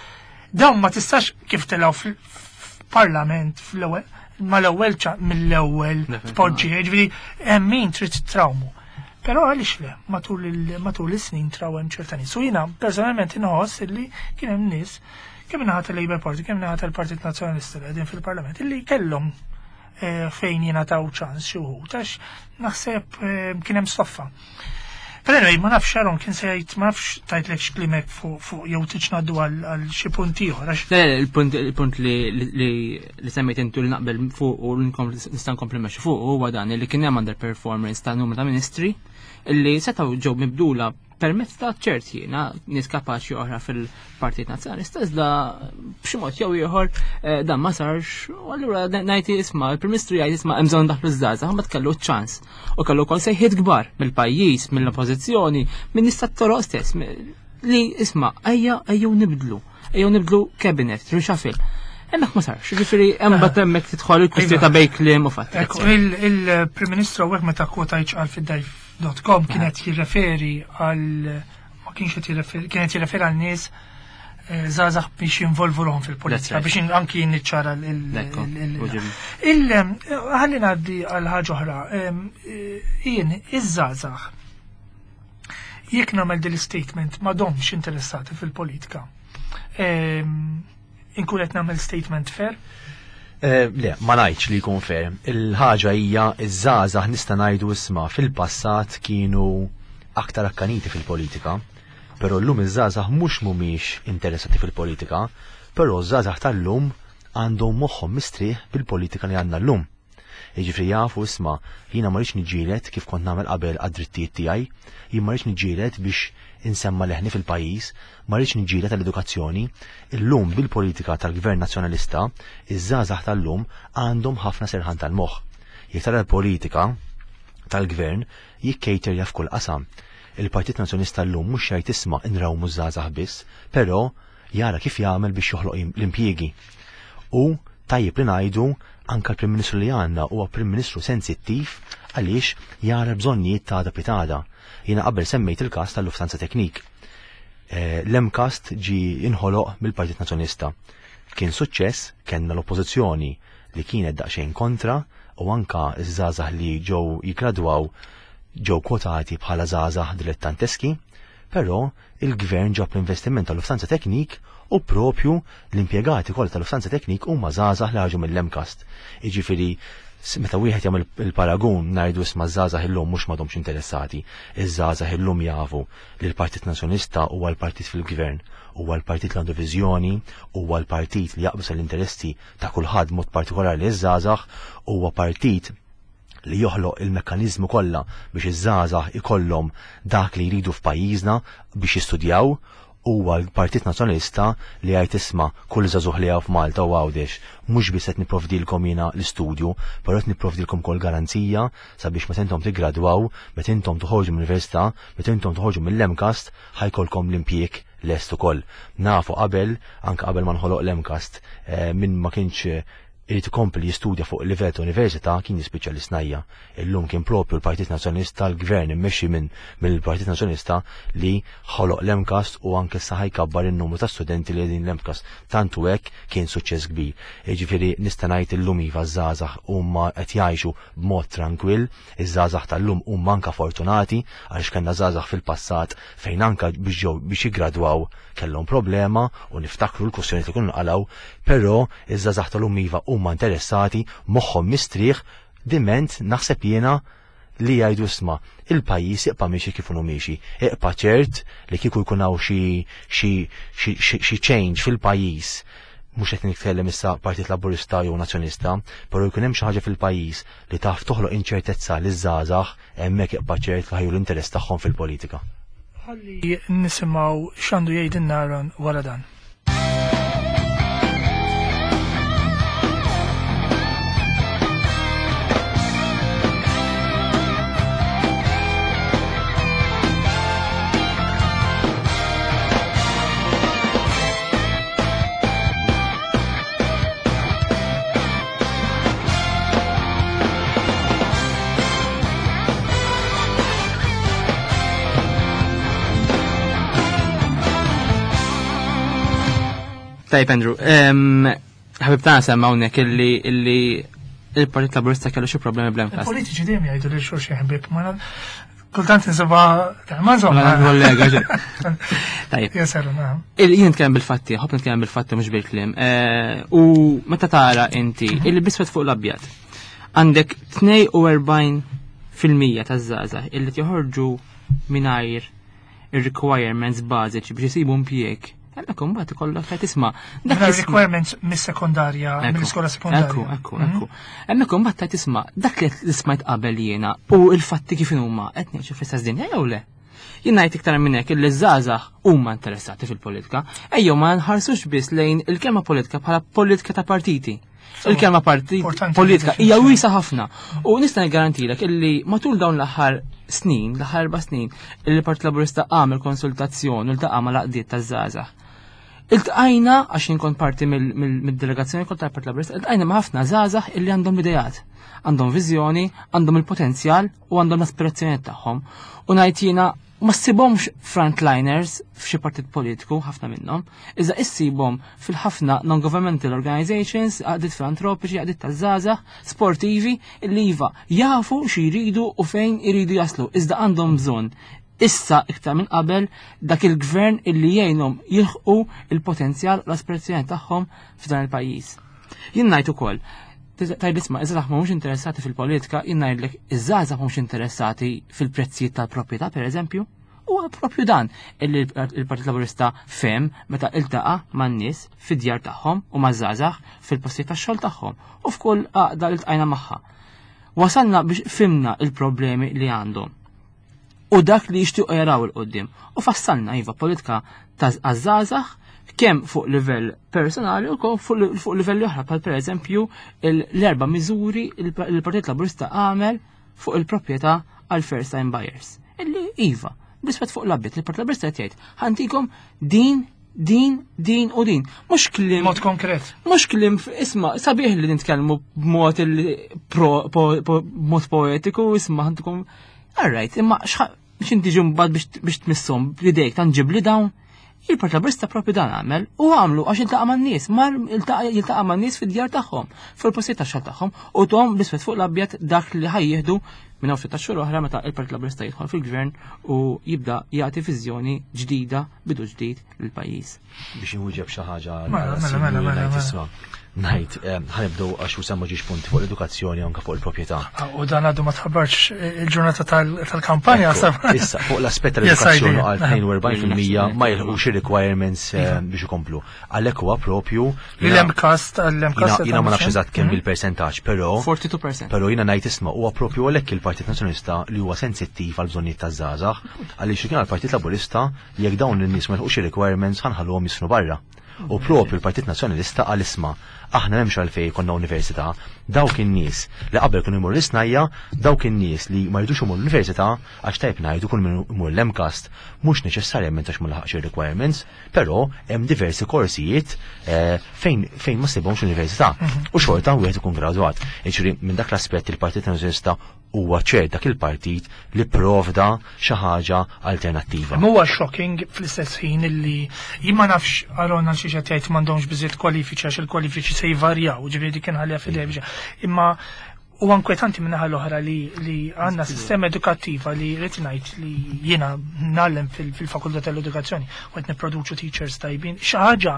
S1: Dawn ma tistax kif telgħu fil-parlament fl-ewwel, mal-ewwel mill-ewwel tpoġġi, jiġifieri hemm min trid trawmu. Però għaliex le, matul is-snin traw hemm ċerta nies. U jiena personalment inħoss illi kien hemm nies kemm naħa tal-Labour Party, kemm naħa tal-Partit Nazzjonalista li qegħdin fil-Parlament illi kellhom eh, fejn jingħataw ċans xi wħud għax naħseb eh, kien hemm stoffa. Pero anyway, ma nafx Aaron kien se jgħid ma nafx tajtlek x'klimek fuq jew tiġ ngħaddu għal xi punt ieħor għax
S2: Le, il-punt il-punt li li li semmejt intu li naqbel fuq u li nista' nkompli meċi fuq huwa dan li kien hemm underperformance ta' numru ta' ministri li setgħu ġew mibdula permezz ta' ċert jiena nies kapaċi oħra fil-Partit Nazzjonalista iżda b'xi mod jew ieħor eh, dan ma sarx u allura ngħid isma' il-Prim Ministru jgħid isma' hemm bżonn daħlu żgħażagħ ma kellu ċans u kellu wkoll sejħiet kbar mill-pajjiż, mill-oppożizzjoni, minn nies tat-toroq stess li isma' ejja ejjew nibdlu, ejjew nibdlu cabinet, reshuffle. Hemmhekk ma sarx, jiġifieri hemm bat hemmhekk tidħol il-kwistjoni ta' bejn kliem u fatt.
S1: Ekku, il-Prim Ministru hawnhekk meta kwota jċqal fid-dajf.com kienet jirreferi għal ma kienx qed jirreferi kienet jirreferi għal nies eh, żgħażagħ biex jinvolvu ruħhom fil-politika
S2: That's right.
S1: biex anki niċċara
S2: Ekku, uġib.
S1: il ħalli ngħaddi għal ħaġa oħra. Eh, Jien iż-żgħażagħ jekk nagħmel din l-statement m'għadhomx interessati fil-politika. Inkun qed nagħmel statement fair?
S3: Eh, Le, ma ngħidx li jkun fair. Il-ħaġa hija iż-żgħażagħ nista' ngħidu isma' fil-passat kienu aktar akkaniti fil-politika, però llum iż-żgħażagħ mhux mhumiex interessati fil-politika, però ż-żgħażagħ tal-lum għandhom moħħhom mistrieħ bil-politika li għandna llum. Jiġifieri jafu isma' jiena ma rridx niġġieled kif kont nagħmel qabel għad-drittijiet tiegħi, jien ma rridx niġġieled biex insemma leħni fil-pajjiż, ma rridx niġġieled għall-edukazzjoni. Illum bil-politika tal-Gvern Nazzjonalista, iż-żgħażagħ tal-lum għandhom ħafna serħan tal-moħħ. Jekk tara l-politika tal-gvern jikkejterja f'kull qasam. Il-Partit Nazzjonalista llum mhux jgħid isma' nrawmu żgħażagħ biss, però jara kif jagħmel biex joħloq l-impjiegi. U tajjeb li ngħidu anka l-Prim Ministru li għandna huwa Prim Ministru sensittiv għaliex jara bżonnijiet ta' għada pitgħada. Jiena qabel semmejt il-każ tal-Lufthansa Technik. Eh, L-MCAST ġi inħoloq mill-Partit Nazzjonalista. Kien suċċess, kellna l-oppożizzjoni li kienet daqsxejn kontra u anka ż-żgħażagħ li ġew jiggradwaw ġew kwotati bħala żgħażagħ dilettanteski, però il-gvern ġab l-investiment tal-Lufthansa Technik u propju l-impjegati kollha tal-Lufthansa Technik huma żgħażagħ li ħarġu mill-MCAST. Jiġifieri meta wieħed jagħmel il-paragun ngħidu isma' żgħażagħ illum mhux m'għadhomx interessati, iż-żgħażagħ illum jafu li l-Partit Nazzjonalista huwa l-partit fil-gvern, huwa l-partit li għandu viżjoni, huwa l-partit li jaqbes l-interessi ta' kulħadd mod partikolari iż-żgħażagħ, huwa partit li joħloq il-mekkaniżmu kollha biex iż-żgħażagħ ikollhom dak li jridu f'pajjiżna biex jistudjaw, huwa l-Partit Nazzjonalista li jgħid isma' kull żagħżugħ li hawn f'Malta u Għawdex mhux biss qed nipprovdilkom jiena l-istudju, però qed nipprovdilkom ukoll garanzija sabiex meta intom tiggradwaw, meta intom toħorġu mill-università, meta intom toħorġu mill-MCAST, ħa jkollkom l-impjieg lest ukoll. Nafu qabel, anke qabel ma nħoloq l-MCAST, eh, min ma kienx irid ikompli jistudja fuq livell ta' università kien jispiċċa l-isnajja. Illum kien propju l-Partit Nazzjonalista, l-Gvern immexxi minn mill-Partit Nazzjonalista li ħoloq l-MCAST u anke issa ħa jkabbar in-numru ta' studenti li qegħdin l-MCAST. Tant u hekk kien suċċess kbir. Jiġifieri nista' ngħid illum iva żgħażagħ huma qed jgħixu b'mod tranquill, iż-żgħażagħ tal-lum huma anke fortunati għaliex kellna żgħażagħ fil-passat fejn anke biex ġew biex jiggradwaw kellhom problema u niftakru l-kwistjoni li kienu nqalgħu, però iż-żgħażagħ tal-lum iva huma interessati, moħħhom mistrieħ, diment naħseb jiena li jgħidu isma' il-pajjiż iqpa' miexi kif inhu miexi. Iqpa' ċert li kieku jkun hawn xi xi xi xi change fil-pajjiż mhux qed nitkellem issa Partit Laburista jew Nazzjonalista, però jkun hemm xi ħaġa fil-pajjiż li taf toħloq inċertezza liż-żgħażagħ hemmhekk iqpa' ċert li ħa juru l-interess tagħhom fil-politika.
S1: Ħalli nisimgħu x'għandu jgħidilna Aaron wara dan.
S2: Tajb, Andrew, ħabib tagħna semma hawnhekk illi illi il-Partit Laburista kellu xi problemi bl-MCAST.
S1: Il-politiċi dejjem jgħidu lil xulxin ħbieb, ma Kultant insibha ma insomma.
S2: Kollega ġe. Tajjeb.
S1: Jeser, nagħam.
S2: Jien nitkellem bil-fatti, ħobb nitkellem bil-fatti mhux bil-kliem. Eh, u meta tara inti mhm. illi biswed fuq l-abjad għandek 42% taż-żgħażagħ illi joħorġu mingħajr ir-requirements bażiċi biex isibu impjieg. Hemmhekk imbagħad ikollok qed tisma'
S1: dak requirements mis-sekondarja, mill-iskola sekondarja.
S2: Ekku, ekku, mhm. ekku. Hemmhekk imbagħad qed tisma' dak li smajt qabel jiena u l-fatti kif huma qed ngħixu fl-istess dinja jew le. Jien ngħid iktar minn hekk illi żgħażagħ huma interessati fil-politika, ejjew ma nħarsux biss lejn il-kelma politika bħala politika ta' partiti. Il-kelma partit politika hija wiesa ħafna. U nista' niggarantilek illi matul dawn l-aħħar snin, l-aħħar erba' snin, il-Partit Laburista għamel konsultazzjoni u ltaqa' mal-għaqdiet taż-żgħażagħ. Iltqajna, għax jien kont parti mid-delegazzjoni kont tal-Partit Laburista, iltqajna ma' ħafna żgħażagħ illi għandhom ideat, għandhom viżjoni, għandhom il-potenzjal u għandhom l-aspirazzjonijiet tagħhom. U ngħid jiena ma ssibhomx frontliners f'xi partit politiku, ħafna minnhom, iżda issibhom fil-ħafna non-governmental organizations, għaqdiet filantropiċi, għaqdiet taż-żgħażagħ, sportivi, li iva jafu xi jridu u fejn iridu jaslu, iżda għandhom bżonn issa iktar minn qabel dak il-gvern illi jgħinhom jilħqu il-potenzjal u l-aspirazzjoni tagħhom f'dan il-pajjiż. Jien ngħid ukoll, Tgħid isma' iż-żgħażagħ mhumiex interessati fil-politika, jien ngħidlek iż-żgħażagħ mhumiex interessati fil-prezzijiet tal-proprjetà pereżempju. Huwa propju dan illi l-Partit Laburista fehem meta iltaqa' man-nies fid-djar tagħhom u maż-żgħażagħ fil-postijiet tax-xogħol tagħhom u f'kull għaqda li ltqajna magħha. Wasalna biex fhimna l-problemi li għandhom u dak li jixtiequ jaraw 'il quddiem. U fassalna iva politika ta' għaż-żgħażagħ kemm fuq livell personali u fuq livelli oħra bħal pereżempju l-erba' miżuri il-Partit Laburista għamel fuq il-proprjetà għal first time buyers. Illi iva, bl-iswed fuq l-abjad, il-Partit Laburista qed jgħid ħantikom din din, din u din. Mhux kliem.
S1: Mod konkret.
S2: Mhux kliem isma' sabiħ li nitkellmu b'mod b'mod poetiku, isma' ħantikom. All right, imma x'inti ġi mbagħad biex tmisshom b'idejk tanġibli dawn? Il-Partit Laburista propju dan għamel u għamlu għax iltaqa' man-nies, mar jiltaqa' man-nies fid-djar tagħhom, fil-postijiet tax-xogħol tagħhom u tom bl-iswed fuq l-abjad dak li ħajjieħdu minn hawn ftit xhur oħra meta il-Partit Laburista jidħol fil-gvern u jibda jagħti viżjoni ġdida, bidu ġdid lill-pajjiż.
S3: Biex inwieġeb xi ħaġa
S1: mela, mela, mela, mela.
S3: Ngħid, eh, ħanibdew għax u semma ġiex punti fuq l-edukazzjoni anke fuq il-proprjetà.
S1: Ah, u dan għadu ma tħabbarx il-ġurnata tal-kampanja.
S3: Issa, fuq l-aspett tal-edukazzjoni għal 42% ma jilħqux ir-requirements eh, iva. biex ikomplu. Għalhekk huwa propju.
S1: L-MCAST, l-MCAST.
S3: Jiena ma nafx eżatt kemm mhm. il-percentaġġ, però.
S2: 42%.
S3: Però jiena ngħid isma' huwa propju għalhekk il-Partit Nazzjonalista li huwa sensittiv għal bżonnijiet taż-żgħażagħ, għaliex kien għall-Partit Laburista jekk dawn in-nies ma jilħqux ir-requirements ħanħalluhom jisfnu barra. U propju l-Partit Nazzjonalista qal isma' aħna m'hemmx għalfejn jkollna università, dawk in-nies li qabel kienu jmorru l-isnajja, dawk in-nies li ma jridux imorru l-università, għax tajjeb ngħidu kull min imur l-MCAST mhux neċessarjament għax ma laħaqx ir-requirements, però hemm diversi korsijiet eh, fejn fejn ma ssibhomx l-università mhm. u xorta wieħed ikun gradwat. Jiġifieri minn dak l-aspett il-Partit Nazzjonalista huwa ċert dak il-partit li pprovda xi ħaġa alternattiva.
S1: Imma huwa shocking fl-istess ħin illi jien ma nafx Aaron għal xiex qed jgħid m'għandhomx biżejjed kwalifiċi għax il-kwalifiċi se jvarjaw, ġifieri dik inħalliha f'idejh biex. Imma huwa inkwetanti min-naħa l-oħra li li għandna sistema edukattiva li rrid ngħid li jiena ngħallem fil-fakultà tal-edukazzjoni u qed nipproduċu teachers tajbin. Xi ħaġa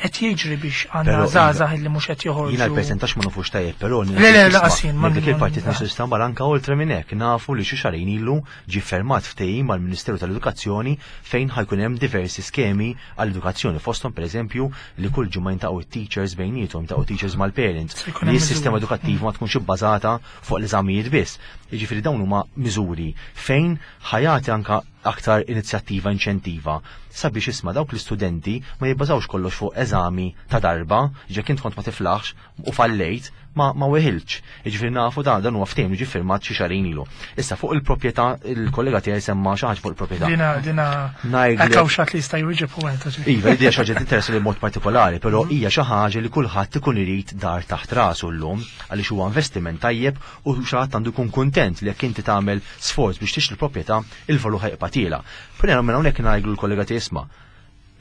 S1: qed jiġri biex għandna żgħażagħ li mhux qed joħorġu.
S3: Jiena l-persentaġġ ma nafux tajjeb, però
S1: Le le laqas jien
S3: ma dik il-Partit Nazzjonalista mar anke oltre minn hekk nafu li xi xahrejn ilu ġie fermat ftehim mal-Ministeru tal-Edukazzjoni fejn ħajkun hemm diversi skemi għall-edukazzjoni fosthom pereżempju li kull ġimgħa jintaqgħu it-teachers bejniethom, jintaqgħu teachers mal-parents, li s-sistema edukattiva ma tkunx ibbażata fuq l-eżamijiet biss. Jiġifieri dawn huma miżuri fejn ħajati anka aktar inizjattiva inċentiva sabiex isma' dawk l-istudenti ma jibbażawx kollox fuq eżami ta' darba, jekk int kont ma tiflaħx u fallejt, ma ma weħiltx. Jiġifieri nafu dan dan huwa ftehim li ġie ffirmat xi xahrejn ilu. Issa fuq il-proprjetà il-kollega tiegħi semma xi ħaġa fuq il-proprjetà.
S1: Dina dina
S3: Ngħidlek
S1: hawn xi li jista' jwieġeb u għenta.
S3: Iva, hija xi ħaġa tinteressa li mod partikolari, però hija xi ħaġa li kulħadd ikun irid dar taħt rasu llum għaliex huwa investiment tajjeb u xi ħadd għandu jkun kuntent li jekk inti tagħmel sforz biex tixtri proprjetà, il-valur ħa jibqa' tiela'. Però minn hawnhekk ngħidlu l-kollega tiegħi isma'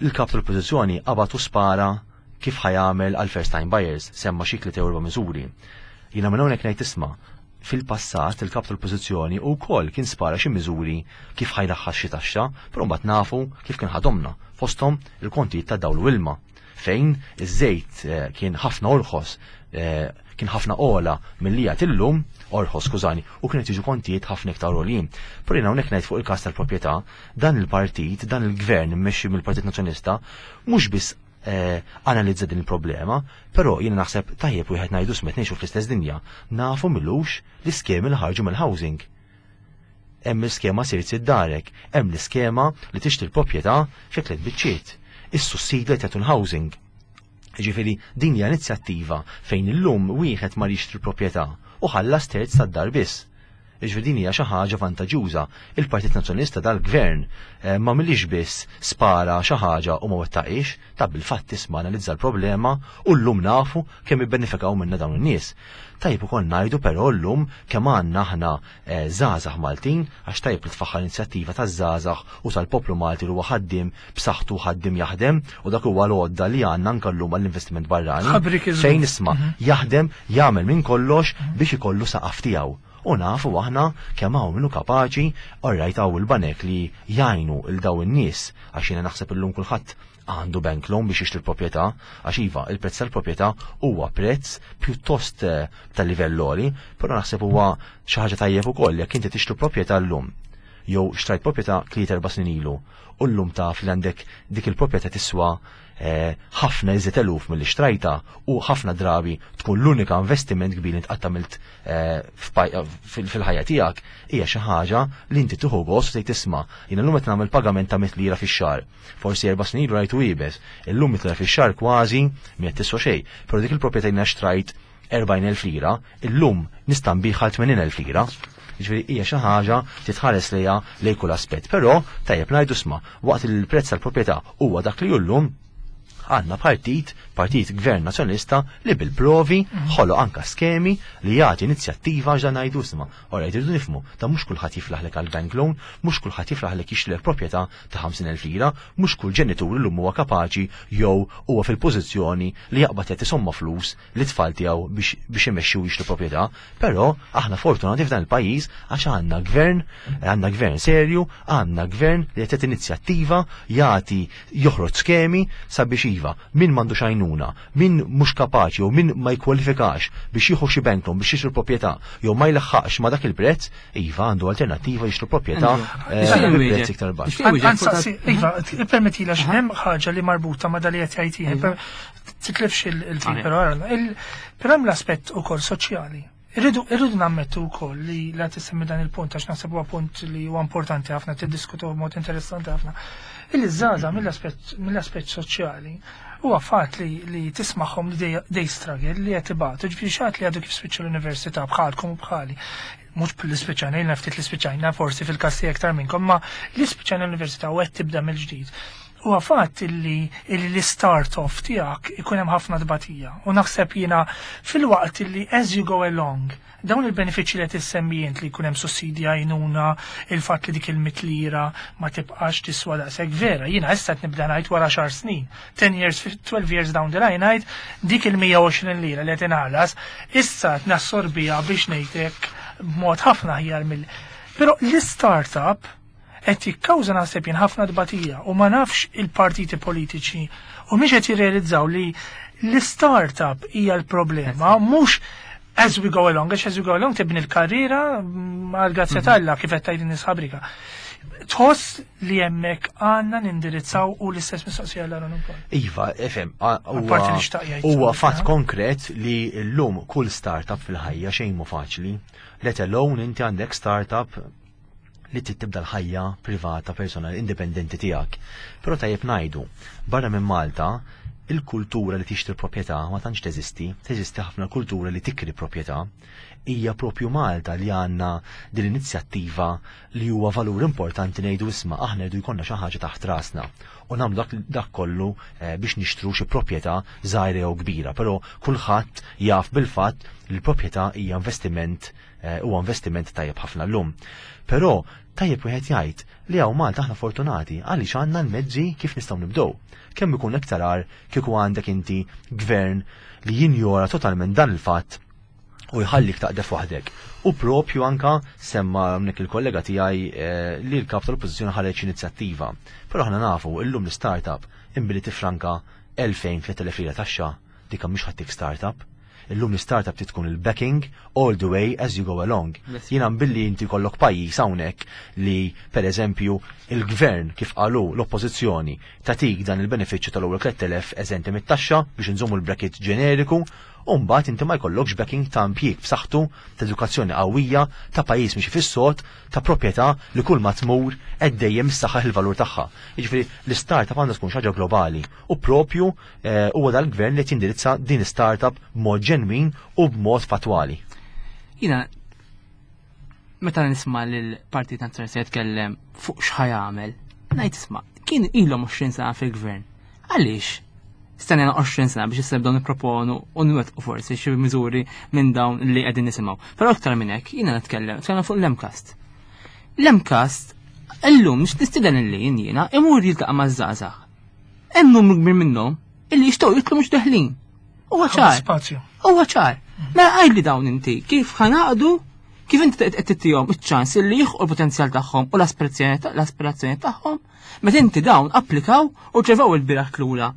S3: il-kap tal-Oppożizzjoni qabad u spara kif ħa jagħmel għal first time buyers, semma xi tliet jew erba' miżuri. Jiena minn hawnhekk ngħid isma' Fil-passat il-kap tal-Oppożizzjoni wkoll kien spara xi miżuri kif ħa jraħħas xi taxxa, però mbagħad nafu kif kien ħadomna, fosthom il-kontijiet ta' dawl u ilma, fejn iż-żejt eh, kien ħafna orħos, eh, kien ħafna ogħla milli qiegħed illum, orħos skużani, u kienet jiġu kontijiet ħafna iktar għoljin. Però jiena hawnhekk ngħid fuq il-każ tal-proprjetà, dan il-partit, dan il-gvern immexxi mill-Partit Nazzjonalista, mhux biss eh, analizza din il-problema, però jiena naħseb tajjeb wieħed ngħidu smet ngħixu fl-istess dinja, nafu milux l-iskemi li ħarġu mill-housing. Hemm l-iskema sirt darek, hemm l-iskema li tixtri l-proprjetà fi tliet biċċiet, is-sussidju li tagħtu l-housing. Ġifieri din hija inizjattiva fejn illum wieħed ma jixtri proprjetà u ħallas terz tad-dar biss. Jiġifieri din hija xi ħaġa vantaġġjuża. Il-Partit Nazzjonalista dal-Gvern eh, ma milix biss spara xi ħaġa u ma wettaqix, ta' bil-fatt isma' analizza l-problema u llum nafu kemm ibbenefikaw minna dawn in-nies. Tajjeb ukoll ngħidu però llum kemm għandna aħna eh, żgħażagħ Maltin għax tajjeb li tfaħħar inizjattiva taż-żgħażagħ u tal-poplu Malti li huwa ħaddiem b'saħħtu ħaddiem jaħdem u dak huwa l-għodda li għandna anke llum għall-investiment barrani. Fejn isma' mhm. jaħdem jagħmel minn kollox mhm. biex ikollu saqaf tiegħu. U nafu aħna kemm hawn minnu kapaċi, orrajt hawn il-banek li jgħinu il daw in-nies għax jiena naħseb illum kulħadd għandu bank loan biex jixtri proprjetà, għax iva, il-prezz tal-proprjetà huwa prezz pjuttost eh, ta' livell għoli, però naħseb huwa xi ħaġa tajjeb ukoll jekk inti tixtri proprjetà llum jew xtrajt proprjetà tliet erba' snin ilu u llum taf li għandek dik il-proprjetà tiswa Eh, ħafna iżjed eluf milli xtrajta u ħafna drabi tkun l-unika investiment kbir li tqatt għamilt eh, fil-ħajja tiegħek hija xi ħaġa li inti tieħu gost u tgħid tisma' jiena llum qed nagħmel pagament ta' mit lira fix-xahar. Forsi erba' snin ilu rajtu iebes, illum mit lira fix-xahar kważi mi qed tiswa xejn, però dik il-proprjetà jiena xtrajt 40,000 lira, illum nista' nbigħha għal 80,000 lira. Jiġifieri hija xi ħaġa li tħares lejha lejn kull aspett. Però tajjeb ngħidu sma' waqt li l-prezz tal-proprjetà huwa dak li hu llum, għandna partit, partit gvern nazzjonalista li bil-provi mhm. ħoloq anka skemi li jagħti inizjattiva għax dan ngħidu sma'. Ora jridu nifhmu, ta' mhux kulħadd jiflaħlek għal bank loan, mhux kulħadd jiflaħlek jixtrilek proprjetà ta' 50,000 lira, mhux kull ġenitur illum huwa kapaċi jew huwa fil-pożizzjoni li jaqbad jagħti somma flus lit-tfal tiegħu biex biex imexxi u jixtru proprjetà, però aħna fortunati f'dan il-pajjiż għax għandna gvern, għandna gvern serju, għandna gvern li qed jagħti inizjattiva, jagħti joħroġ skemi sabiex iva, min m'għandux għajnuna, min mhux kapaċi jew min ma jkwalifikax biex jieħu xi bank loan biex jixtri proprjetà jew ma jlaħħaqx ma dak il-prezz, iva għandu alternattiva jixtru proprjetà eh, bi prezz iktar baxx.
S1: Iva, permettila x'hemm ħaġa li marbuta ma' dali qed jgħid Titlifx il-fil, però però hemm l-aspett ukoll soċjali. Irridu irridu nammettu wkoll li la tissemmi dan il-punt għax naħseb huwa punt li huwa importanti ħafna tiddiskutu b'mod interessanti ħafna. Illi żgħażagħ mill-aspett mill-aspett soċjali huwa fatt li li tismagħhom li they struggle li qed ibatu, ġifieri xi li għadu kif spiċċa l-università bħalkom u bħali. Mhux li spiċċajna, ilna ftit li spiċċajna forsi fil-każ tiegħek aktar minnkom, ma li spiċċajna l-università u qed tibda mill-ġdid. Huwa fatt illi l-istart off tiegħek ikun hemm ħafna tbatija. U naħseb jiena filwaqt illi as you go along, dawn il-benefiċċji li qed issemmi int li jkun hemm sussidji għajnuna, il-fatt li dik il-mitt lira ma tibqax tiswa daqshekk vera, jiena issa qed nibda ngħid wara xar snin, 10 years, 12 years down the line ngħid dik il-120 lira li qed inħallas, issa qed nassorbiha biex ngħidlek b'mod ħafna aħjar mill. Però l-startup qed jikkawża naħseb jien ħafna tbatija u ma nafx il-partiti politiċi u mhix qed jirrealizzaw li l-startup hija l-problema mhux as we go along, għax as we go along tibni l-karriera għal grazzja mhm. t'Alla kif qed tgħid in ħabrika. Tħoss li hemmhekk għandna nindirizzaw u l-istess mistoqsija l Aaron ukoll.
S3: Iva, efem, huwa fatt konkret li llum kull startup fil-ħajja xejn mu faċli. Let alone inti għandek startup li trid tibda l-ħajja privata personali indipendenti tiegħek. Però tajjeb ngħidu, barra minn Malta, il-kultura li tixtri proprjetà ma tantx teżisti, teżisti ħafna kultura li tikri proprjetà. Hija propju Malta li għandna din l-inizjattiva li huwa valur importanti ngħidu isma' aħna rridu jkollna xi ħaġa taħt rasna u nagħmlu dak, dak kollu eh, biex nixtru xi proprjetà żgħira jew kbira, però kulħadd jaf bil-fatt li l-proprjetà hija investiment Eh, huwa investiment tajjeb ħafna llum. Però tajjeb wieħed jgħid li hawn Malta aħna fortunati għaliex għandna l-mezzi kif nistgħu nibdew. Kemm ikun iktar għar kieku għandek inti gvern li jinjora totalment dan il-fatt U jħallik taqdef waħdek. U propju anka semma hawnhekk il-kollega tiegħi eh, li l-kap tal-oppożizzjoni ħareġ inizjattiva. Però aħna nafu illum l-startup imbili tifranka 2000-3000 lira taxxa dik mhix ħattik startup. Illum l-startup trid tkun il-backing all the way as you go along. Jiena billi inti kollok pajjiż hawnhekk li pereżempju il-gvern kif qalu l-oppożizzjoni tatik dan il-benefiċċju tal-ewwel 3000 eżenti mit-taxxa biex inżommu l-bracket ġeneriku u mbagħad inti ma jkollokx backing ta' impjieg b'saħħtu, ta' edukazzjoni qawwija, ta' pajjiż mixi fis-sod, ta' proprjetà li kull ma tmur qed dejjem issaħħaħ il-valur tagħha. Jiġifieri l-istartup għandha tkun xi ħaġa globali u propju eh, huwa dal-gvern li qed jindirizza din startup b'mod ġenwin u b'mod fatwali.
S2: Jiena meta nisma' lill-Partit Nazzjonalista jitkellem fuq x'ħa jagħmel, ngħid isma' kien ilhom 20 sena fil-gvern. Għaliex? Stennejna 20 sena biex issa nibdew nipproponu u nwettqu forsi xi miżuri minn dawn li qegħdin nisimgħu. Però iktar minn hekk jiena nitkellem, nitkellem fuq l-MCAST. L-MCAST illum nistieden illi jiena imur jiltaqa' maż-żgħażagħ. Hemm numru kbir minnhom illi jixtiequ jidħlu mhux deħlin. Huwa ċar.
S1: Spazju.
S2: Huwa ċar. Mela għidli dawn inti kif ħanaqdu kif inti qed tittihom iċ-ċans illi jilħqu l-potenzjal tagħhom u l-aspirazzjoni tagħhom meta inti dawn applikaw u ċevew il-bieraħ tlura.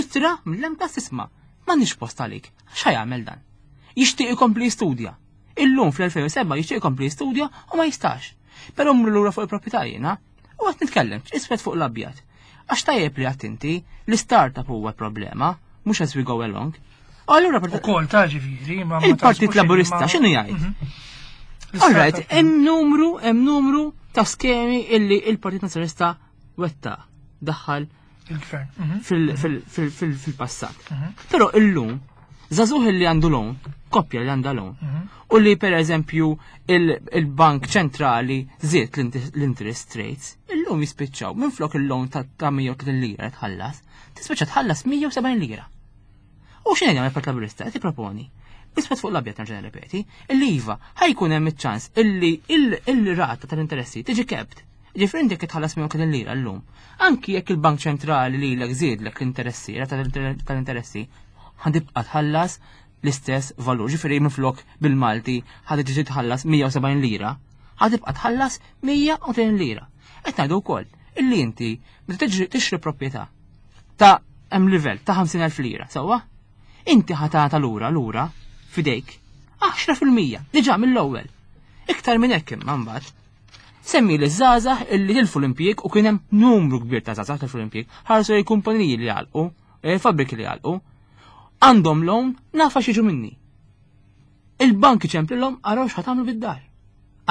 S2: Ittra mill-MCAST isma' m'għandniex post għalik. X'ħa jagħmel dan? Jixtieq ikompli jistudja. Illum fl-2007 jixtieq ikompli jistudja u ma jistax. Però mmur lura fuq il-proprjetà jiena u qed nitkellem iswed fuq l-abjad. Għax tajjeb li għadt inti l-startup huwa problema, mhux as we go along.
S1: Allura Ukoll ta' ġifieri,
S2: ma il-Partit Laburista x'inhu jgħid? Mhm. All right, hemm numru, hemm numru ta' skemi illi il-Partit Nazzjonalista wetta daħħal
S1: il-gvern.
S2: Mhm. Fil-passat. Mhm. Però illum, żagħżugħ li għandu loan, koppja li għandha loan, u li per eżempju il-Bank Ċentrali żied l-interest rates, illum jispiċċaw minn flok il-loan ta' 130 lira tħallas, tispiċċa tħallas 170 lira. U x'inhi jagħmel Partit Laburista? Qed jipproponi iswed fuq l-abjad nerġa' nirrepeti, illi iva ħajkun hemm iċ-ċans illi il-rata tal-interessi tiġi kept. Ġifieri inti jekk tħallas 130 lira llum, anki jekk il-Bank Ċentrali lilek żiedlek l-interessi, rata tal-interessi, ħa tħallas l-istess valur. Ġifieri minflok bil-Malti ħa tiġi tħallas 170 lira, ħa tibqa' tħallas 130 lira. Qed ngħidu wkoll illi inti meta tixtri proprjetà ta' hemm livell ta' 50,000 lira, sewwa? Inti ħa tagħta lura lura f'idejk 10% diġà mill-ewwel. Iktar minn hekk imma mbagħad. Semmi li żgħażagħ illi tilfu l-impjieg u kien hemm numru kbir ta' żgħażagħ tilfu l-impjieg, ħarsu lejn kumpaniji li għalqu, eh, fabbriki li għalqu, għandhom loan nafa xieġu minni. Il-bank iċemplilhom araw x'ħa tagħmlu bid-dar.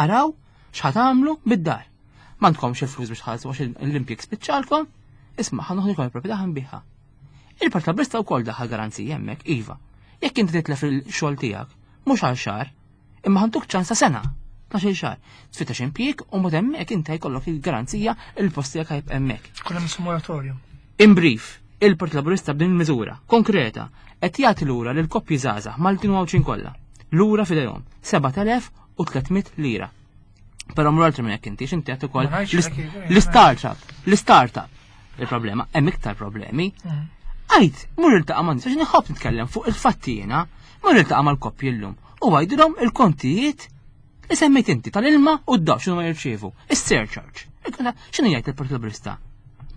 S2: Araw x'ħa tagħmlu bid-dar. M'għandkomx il-flus biex tħallsu għax l-impjieg spiċċalkom, isma' ħa noħdilkom il-proprjetà ħa nbiegħha. Il-Partit Laburista wkoll daħal garanzija hemmhekk, iva. Jekk inti titlef il-xogħol tiegħek, mhux għal xahar, imma ħantuk ċans ta' sena, 12 xahar. Tfittex impjieg u mod hemmhekk inti jkollok il-garanzija il-post tiegħek ħajb hemmhekk.
S1: Kun hemm moratorium.
S2: In brief, il-Partit Laburista b'din il-miżura konkreta qed jagħti lura lil koppji żgħażagħ Maltin u Għawdxin kollha. Lura f'idejhom 7300 lira. Però mru altri minn hekk inti, x'inti qed ukoll l-startup, l-startup. Il-problema, hemm iktar problemi. Mm. Għajt, mur iltaqa' ma' nies, għax nħobb nitkellem fuq il-fatti jiena, mur iltaqa' mal-koppji llum u għajdilhom il-kontijiet li semmejt inti tal-ilma u d-daw x'inhu ma jirċievu, is-surcharge. X'inhu jgħid il-Partit Laburista?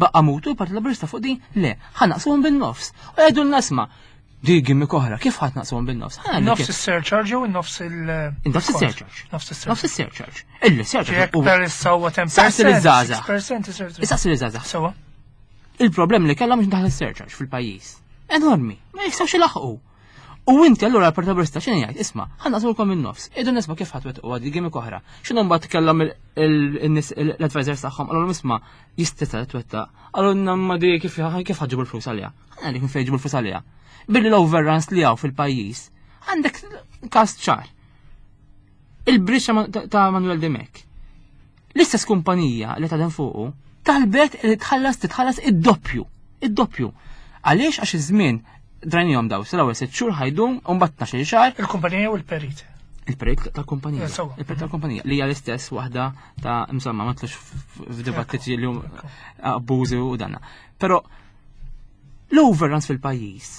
S2: Baqqa mutu il-Partit Laburista fuq din? Le, ħa naqsuhom bin-nofs. U jgħidu l-nasma, di gimmick oħra, kif ħadd naqsuhom bin-nofs?
S1: Nofs is-surcharge jew nofs il-
S2: Nofs is-surcharge.
S1: Nofs
S2: is-surcharge. Nofs is-surcharge. Illi surcharge.
S1: Jekk per issa huwa 10%.
S2: Saqsi liż-żgħażagħ. Saqsi liż-żgħażagħ.
S1: Sewa.
S2: Il-problem li kellhom biex ndaħal is-surcharge fil-pajjiż. Enormi, ma jistgħux ilaħqu. U inti allura l-Partit Laburista x'inhi jgħid? Isma' ħa naqsmulkom in-nofs. Idu nisma' kif ħadd wettqu għadi gimmick oħra. X'inhu mbagħad kellhom in-nies l-advisors tagħhom qalulhom isma' jista' twettaq. Qalulna ma di kif kif ħaġibu l-flus għaliha. Ħa ngħidlek minn fejn ġibu l-flus għaliha. Billi l-overruns li hawn fil-pajjiż għandek każ ċar. Il-bridge ta' Manuel Dimech. L-istess kumpanija li tadem fuqu talbet li tħallas titħallas id-doppju. Id-doppju. Għaliex għax iż-żmien drajnihom daw, sal-ewwel sitt xhur ħajdum u mbagħad 12 xahar.
S1: Il-kumpanija u l-perit.
S2: Il-perit tal-kumpanija. Eh, Il-perit tal-kumpanija li hija l-istess waħda ta' insomma ma tlux f'dibattiti li hum abbużi u danna. Però l-overruns fil-pajjiż.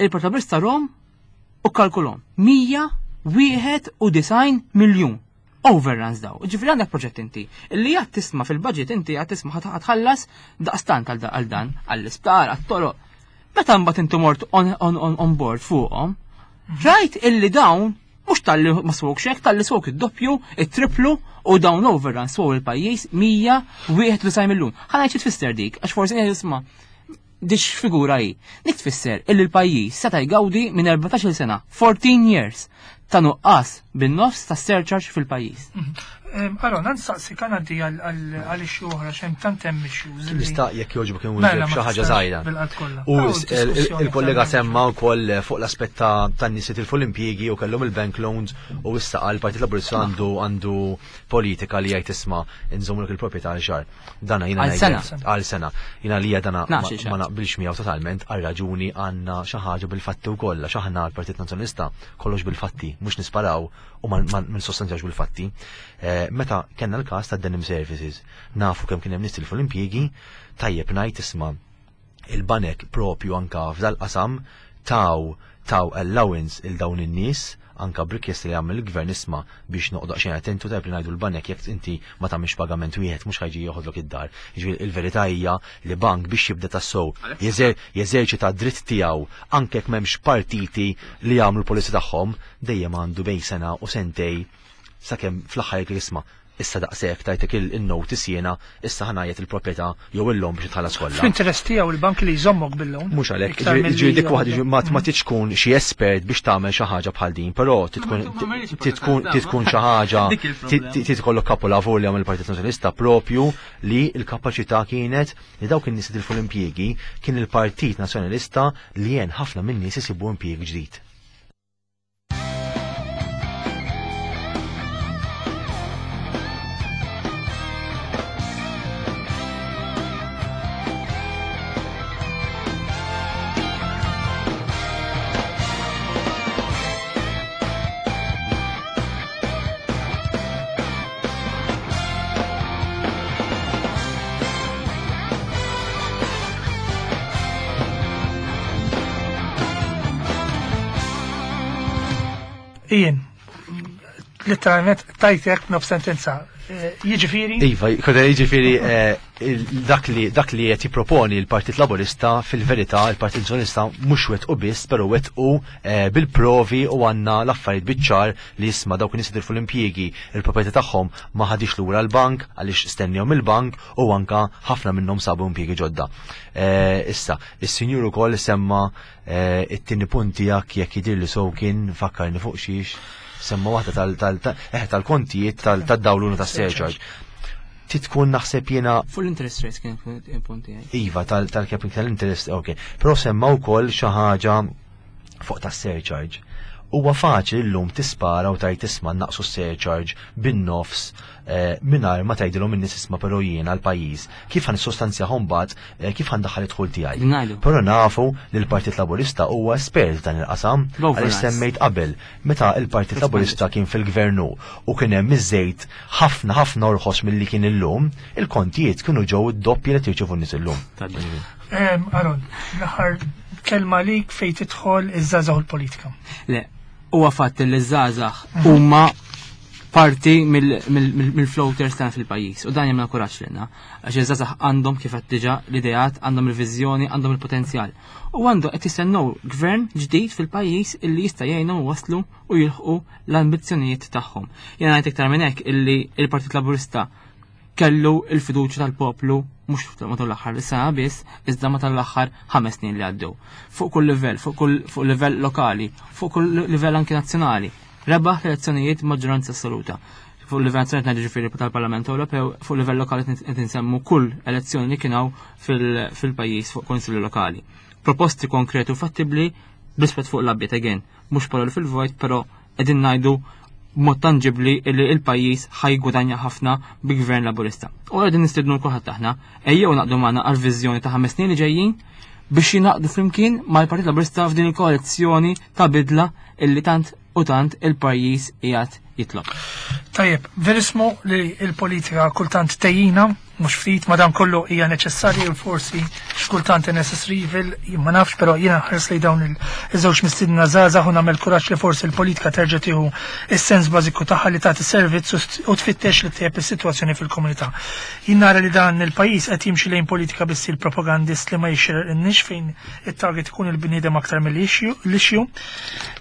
S2: Il-protagonista Rom. U kalkulhom 191 miljun overruns daw. Ġifieri għandek proġett inti li qed tisma' fil-budget inti qed tisma' ħatħallas daqstant għal dan għall-isptar, għat-toroq. Meta mbagħad inti mort on, on, on, on board fuqhom, rajt illi dawn mhux talli ma swok hekk, talli swok id-doppju, it-triplu u dawn overruns swow il-pajjiż 191 miljun. Ħa ngħid xi tfisser dik, għax forsi jisma' dix figura hi. Dik tfisser illi l-pajjiż seta' jgawdi minn 14-il sena, 14 years, ta' nuqqas bin-nofs ta' surcharge fil-pajjiż.
S1: Aron, għan saqsi kan għaddi għal issue oħra, xem tant hemm issues.
S3: Nista' jekk jogħġbok Mela, ma xi ħaġa żgħira. U il-kollega semma wkoll fuq l-aspett tan-nies li tilfu l-impjiegi u kellhom il-bank loans u issa qal Partit Laburista għandu għandu politika li jgħid isma' nżommlok il-proprjetà għal xahar. Dana jiena
S2: Għal sena.
S3: Għal sena. Jiena li dana ma naqbilx miegħu totalment għal raġuni għandna xi ħaġa bil-fatti wkoll għax aħna l-Partit Nazzjonalista kollox bil-fatti, mhux nisparaw u ma nsostanzjawx bil-fatti. Meta kellna l-każ ta' Denim Services, nafu kemm kien hemm nies tilfu l-impjiegi, tajjeb ngħid isma' il-banek propju anka f'dal-qasam taw taw allowance il dawn in-nies anka b'rikjesti li għamel il-gvern isma' biex noqgħod xejn attentu tajb li ngħidu l-banek jekk inti ma tagħmilx pagament wieħed mhux ħajġi joħodlok id-dar. Jiġifieri il-verità hija li bank biex jibda tassew jeżerċita d-dritt tiegħu anke jekk m'hemmx partiti li jagħmlu l-policy tagħhom dejjem għandu bejn sena u sentej sakemm fl-aħħar jekk isma' issa daqshekk tajtek il-notice jiena issa ħanajjet il-proprjetà jew il-loan biex tħallas kollha.
S1: Fl-interess tiegħu il-bank li jżommok bil-loan.
S3: Mhux għalhekk, ġifieri dik waħda ma tridx tkun xi espert biex tagħmel xi ħaġa bħal din, però tkun xi ħaġa trid ikollok kapolavur li għamel il-Partit Nazzjonalista propju li l-kapaċità kienet li dawk in-nies li tilfu l-impjiegi kien il-Partit Nazzjonalista li għen ħafna min-nies isibu impjieg ġdid.
S1: Ian, literalment tajtek nof sentenza. Jiġifieri?
S3: Iva, koda jiġifieri dak li dak li qed jipproponi l-Partit Laburista fil-verità il-Partit Nazzjonalista mhux wettqu biss, però wettqu bil-provi u għandna l-affarijiet biċ-ċar li jisma' dawk in-nies jitilfu l-impjiegi, il-proprjetà tagħhom ma ħadix lura l-bank għaliex stennihom il-bank u anka ħafna minnhom sabu impjiegi ġodda. Issa, is-sinjur ukoll semma it-tieni punt tiegħek jekk jidhirli sew kien fakkarni fuq xiex semma waħda tal-kontijiet tad-dawluna tas-surcharge. Titkun naħseb jiena
S2: Fuq l-interest rates kien il-punt tiegħi.
S3: Iva, tal-capping tal-interest, ok. Però semma wkoll xi ħaġa fuq tas-surcharge. Huwa faċli llum tispara u tajt isma' naqsu s-surcharge bin-nofs mingħajr ma tgħidilhom in-nies isma' però jiena l-pajjiż kif ħa nissostanzjahom mbagħad kif ħa ndaħħal id-dħul tiegħi.
S2: Ngħidu.
S3: Però nafu li l-Partit Laburista huwa espert f'dan il-qasam għaliex semmejt qabel meta l-Partit Laburista kien fil-gvernu u kien hemm iż-żejt ħafna ħafna orħos milli kien illum, il-kontijiet kienu ġew id-doppji li tirċievu n-nies illum.
S1: Aron, l-aħħar kelma lik fejn tidħol iż-żgħażagħ u l-politika.
S2: Le, huwa fatt li ż-żgħażagħ huma parti mill-floaters tagħna fil-pajjiż u dan jagħmilna kuraġġ lilna għax iż-żgħażagħ għandhom kif qed diġà l-ideat, għandhom il-viżjoni, għandhom il-potenzjal. U għandu qed jistennew gvern ġdid fil-pajjiż illi jista' jgħinhom waslu u jilħqu l-ambizzjonijiet tagħhom. Jiena ngħid iktar minn hekk illi il-Partit Laburista kellu il-fiduċja tal-poplu mhux matul l-aħħar sena biss, iżda matul l-aħħar 5 snin li għaddew. Fuq kull livell, fuq kull fuq livell lokali, fuq kull livell anki nazzjonali. Rebaħ l-elezzjonijiet maġġoranza assoluta. Fuq livell nazzjonali ngħidu ġifieri tal-Parlament Ewropew, fuq livell lokali qed insemmu kull elezzjoni li kien hawn fil-pajjiż fuq konsilli lokali. Proposti konkreti u fattibbli bl-iswed fuq l-abjad again, mhux paroli fil-vojt, però qegħdin ngħidu b'mod tanġibli li il-pajjiż ħajgwadanja ħafna bi gvern laburista. U qegħdin nistiednu kulħadd aħna, ejjew naqdu magħna għal viżjoni ta' 5 snin li ġejjin biex jingħaqdu flimkien mal-Partit Laburista f'din il-koalizzjoni ta' bidla illi tant u tant il-pajjiż qiegħed jitlob.
S1: Tajjeb, verismu li il-politika kultant tejjina. Mhux ftit, madankollu hija neċessarja u forsi xkultant necessary evil, ma nafx, però jiena nħares lejn dawn iż-żewġ mistiedna żgħażagħ u nagħmel kuraġġ li forsi l-politika terġa' tieħu s-sens bażiku tagħha li tagħti servizz u tfittex li ttejjeb is-sitwazzjoni fil-komunità. Jien nara li dan il-pajjiż qed jimxi lejn politika bi stil propagandist li ma jixirqilniex fejn it-target ikun il-bniedem aktar mill-issue.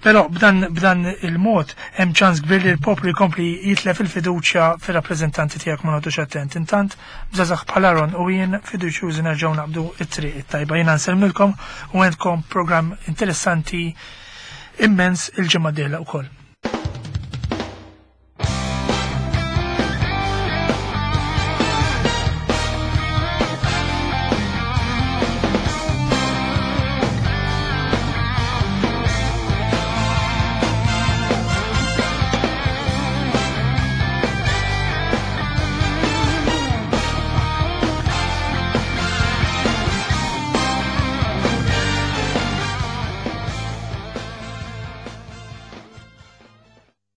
S1: Però b'dan b'dan il-mod hemm ċans kbir li l-poplu jkompli jitlef il-fiduċja fir-rappreżentanti tiegħek ma noqgħodux attent. Intant, b'żgħażagħ bħal Aaron u jien fiduċjużi nerġgħu naqbdu t-triq it-tajba. Jiena nsellmilkom u għandkom programm interessanti immens il-ġimgħa d-dieħla wkoll.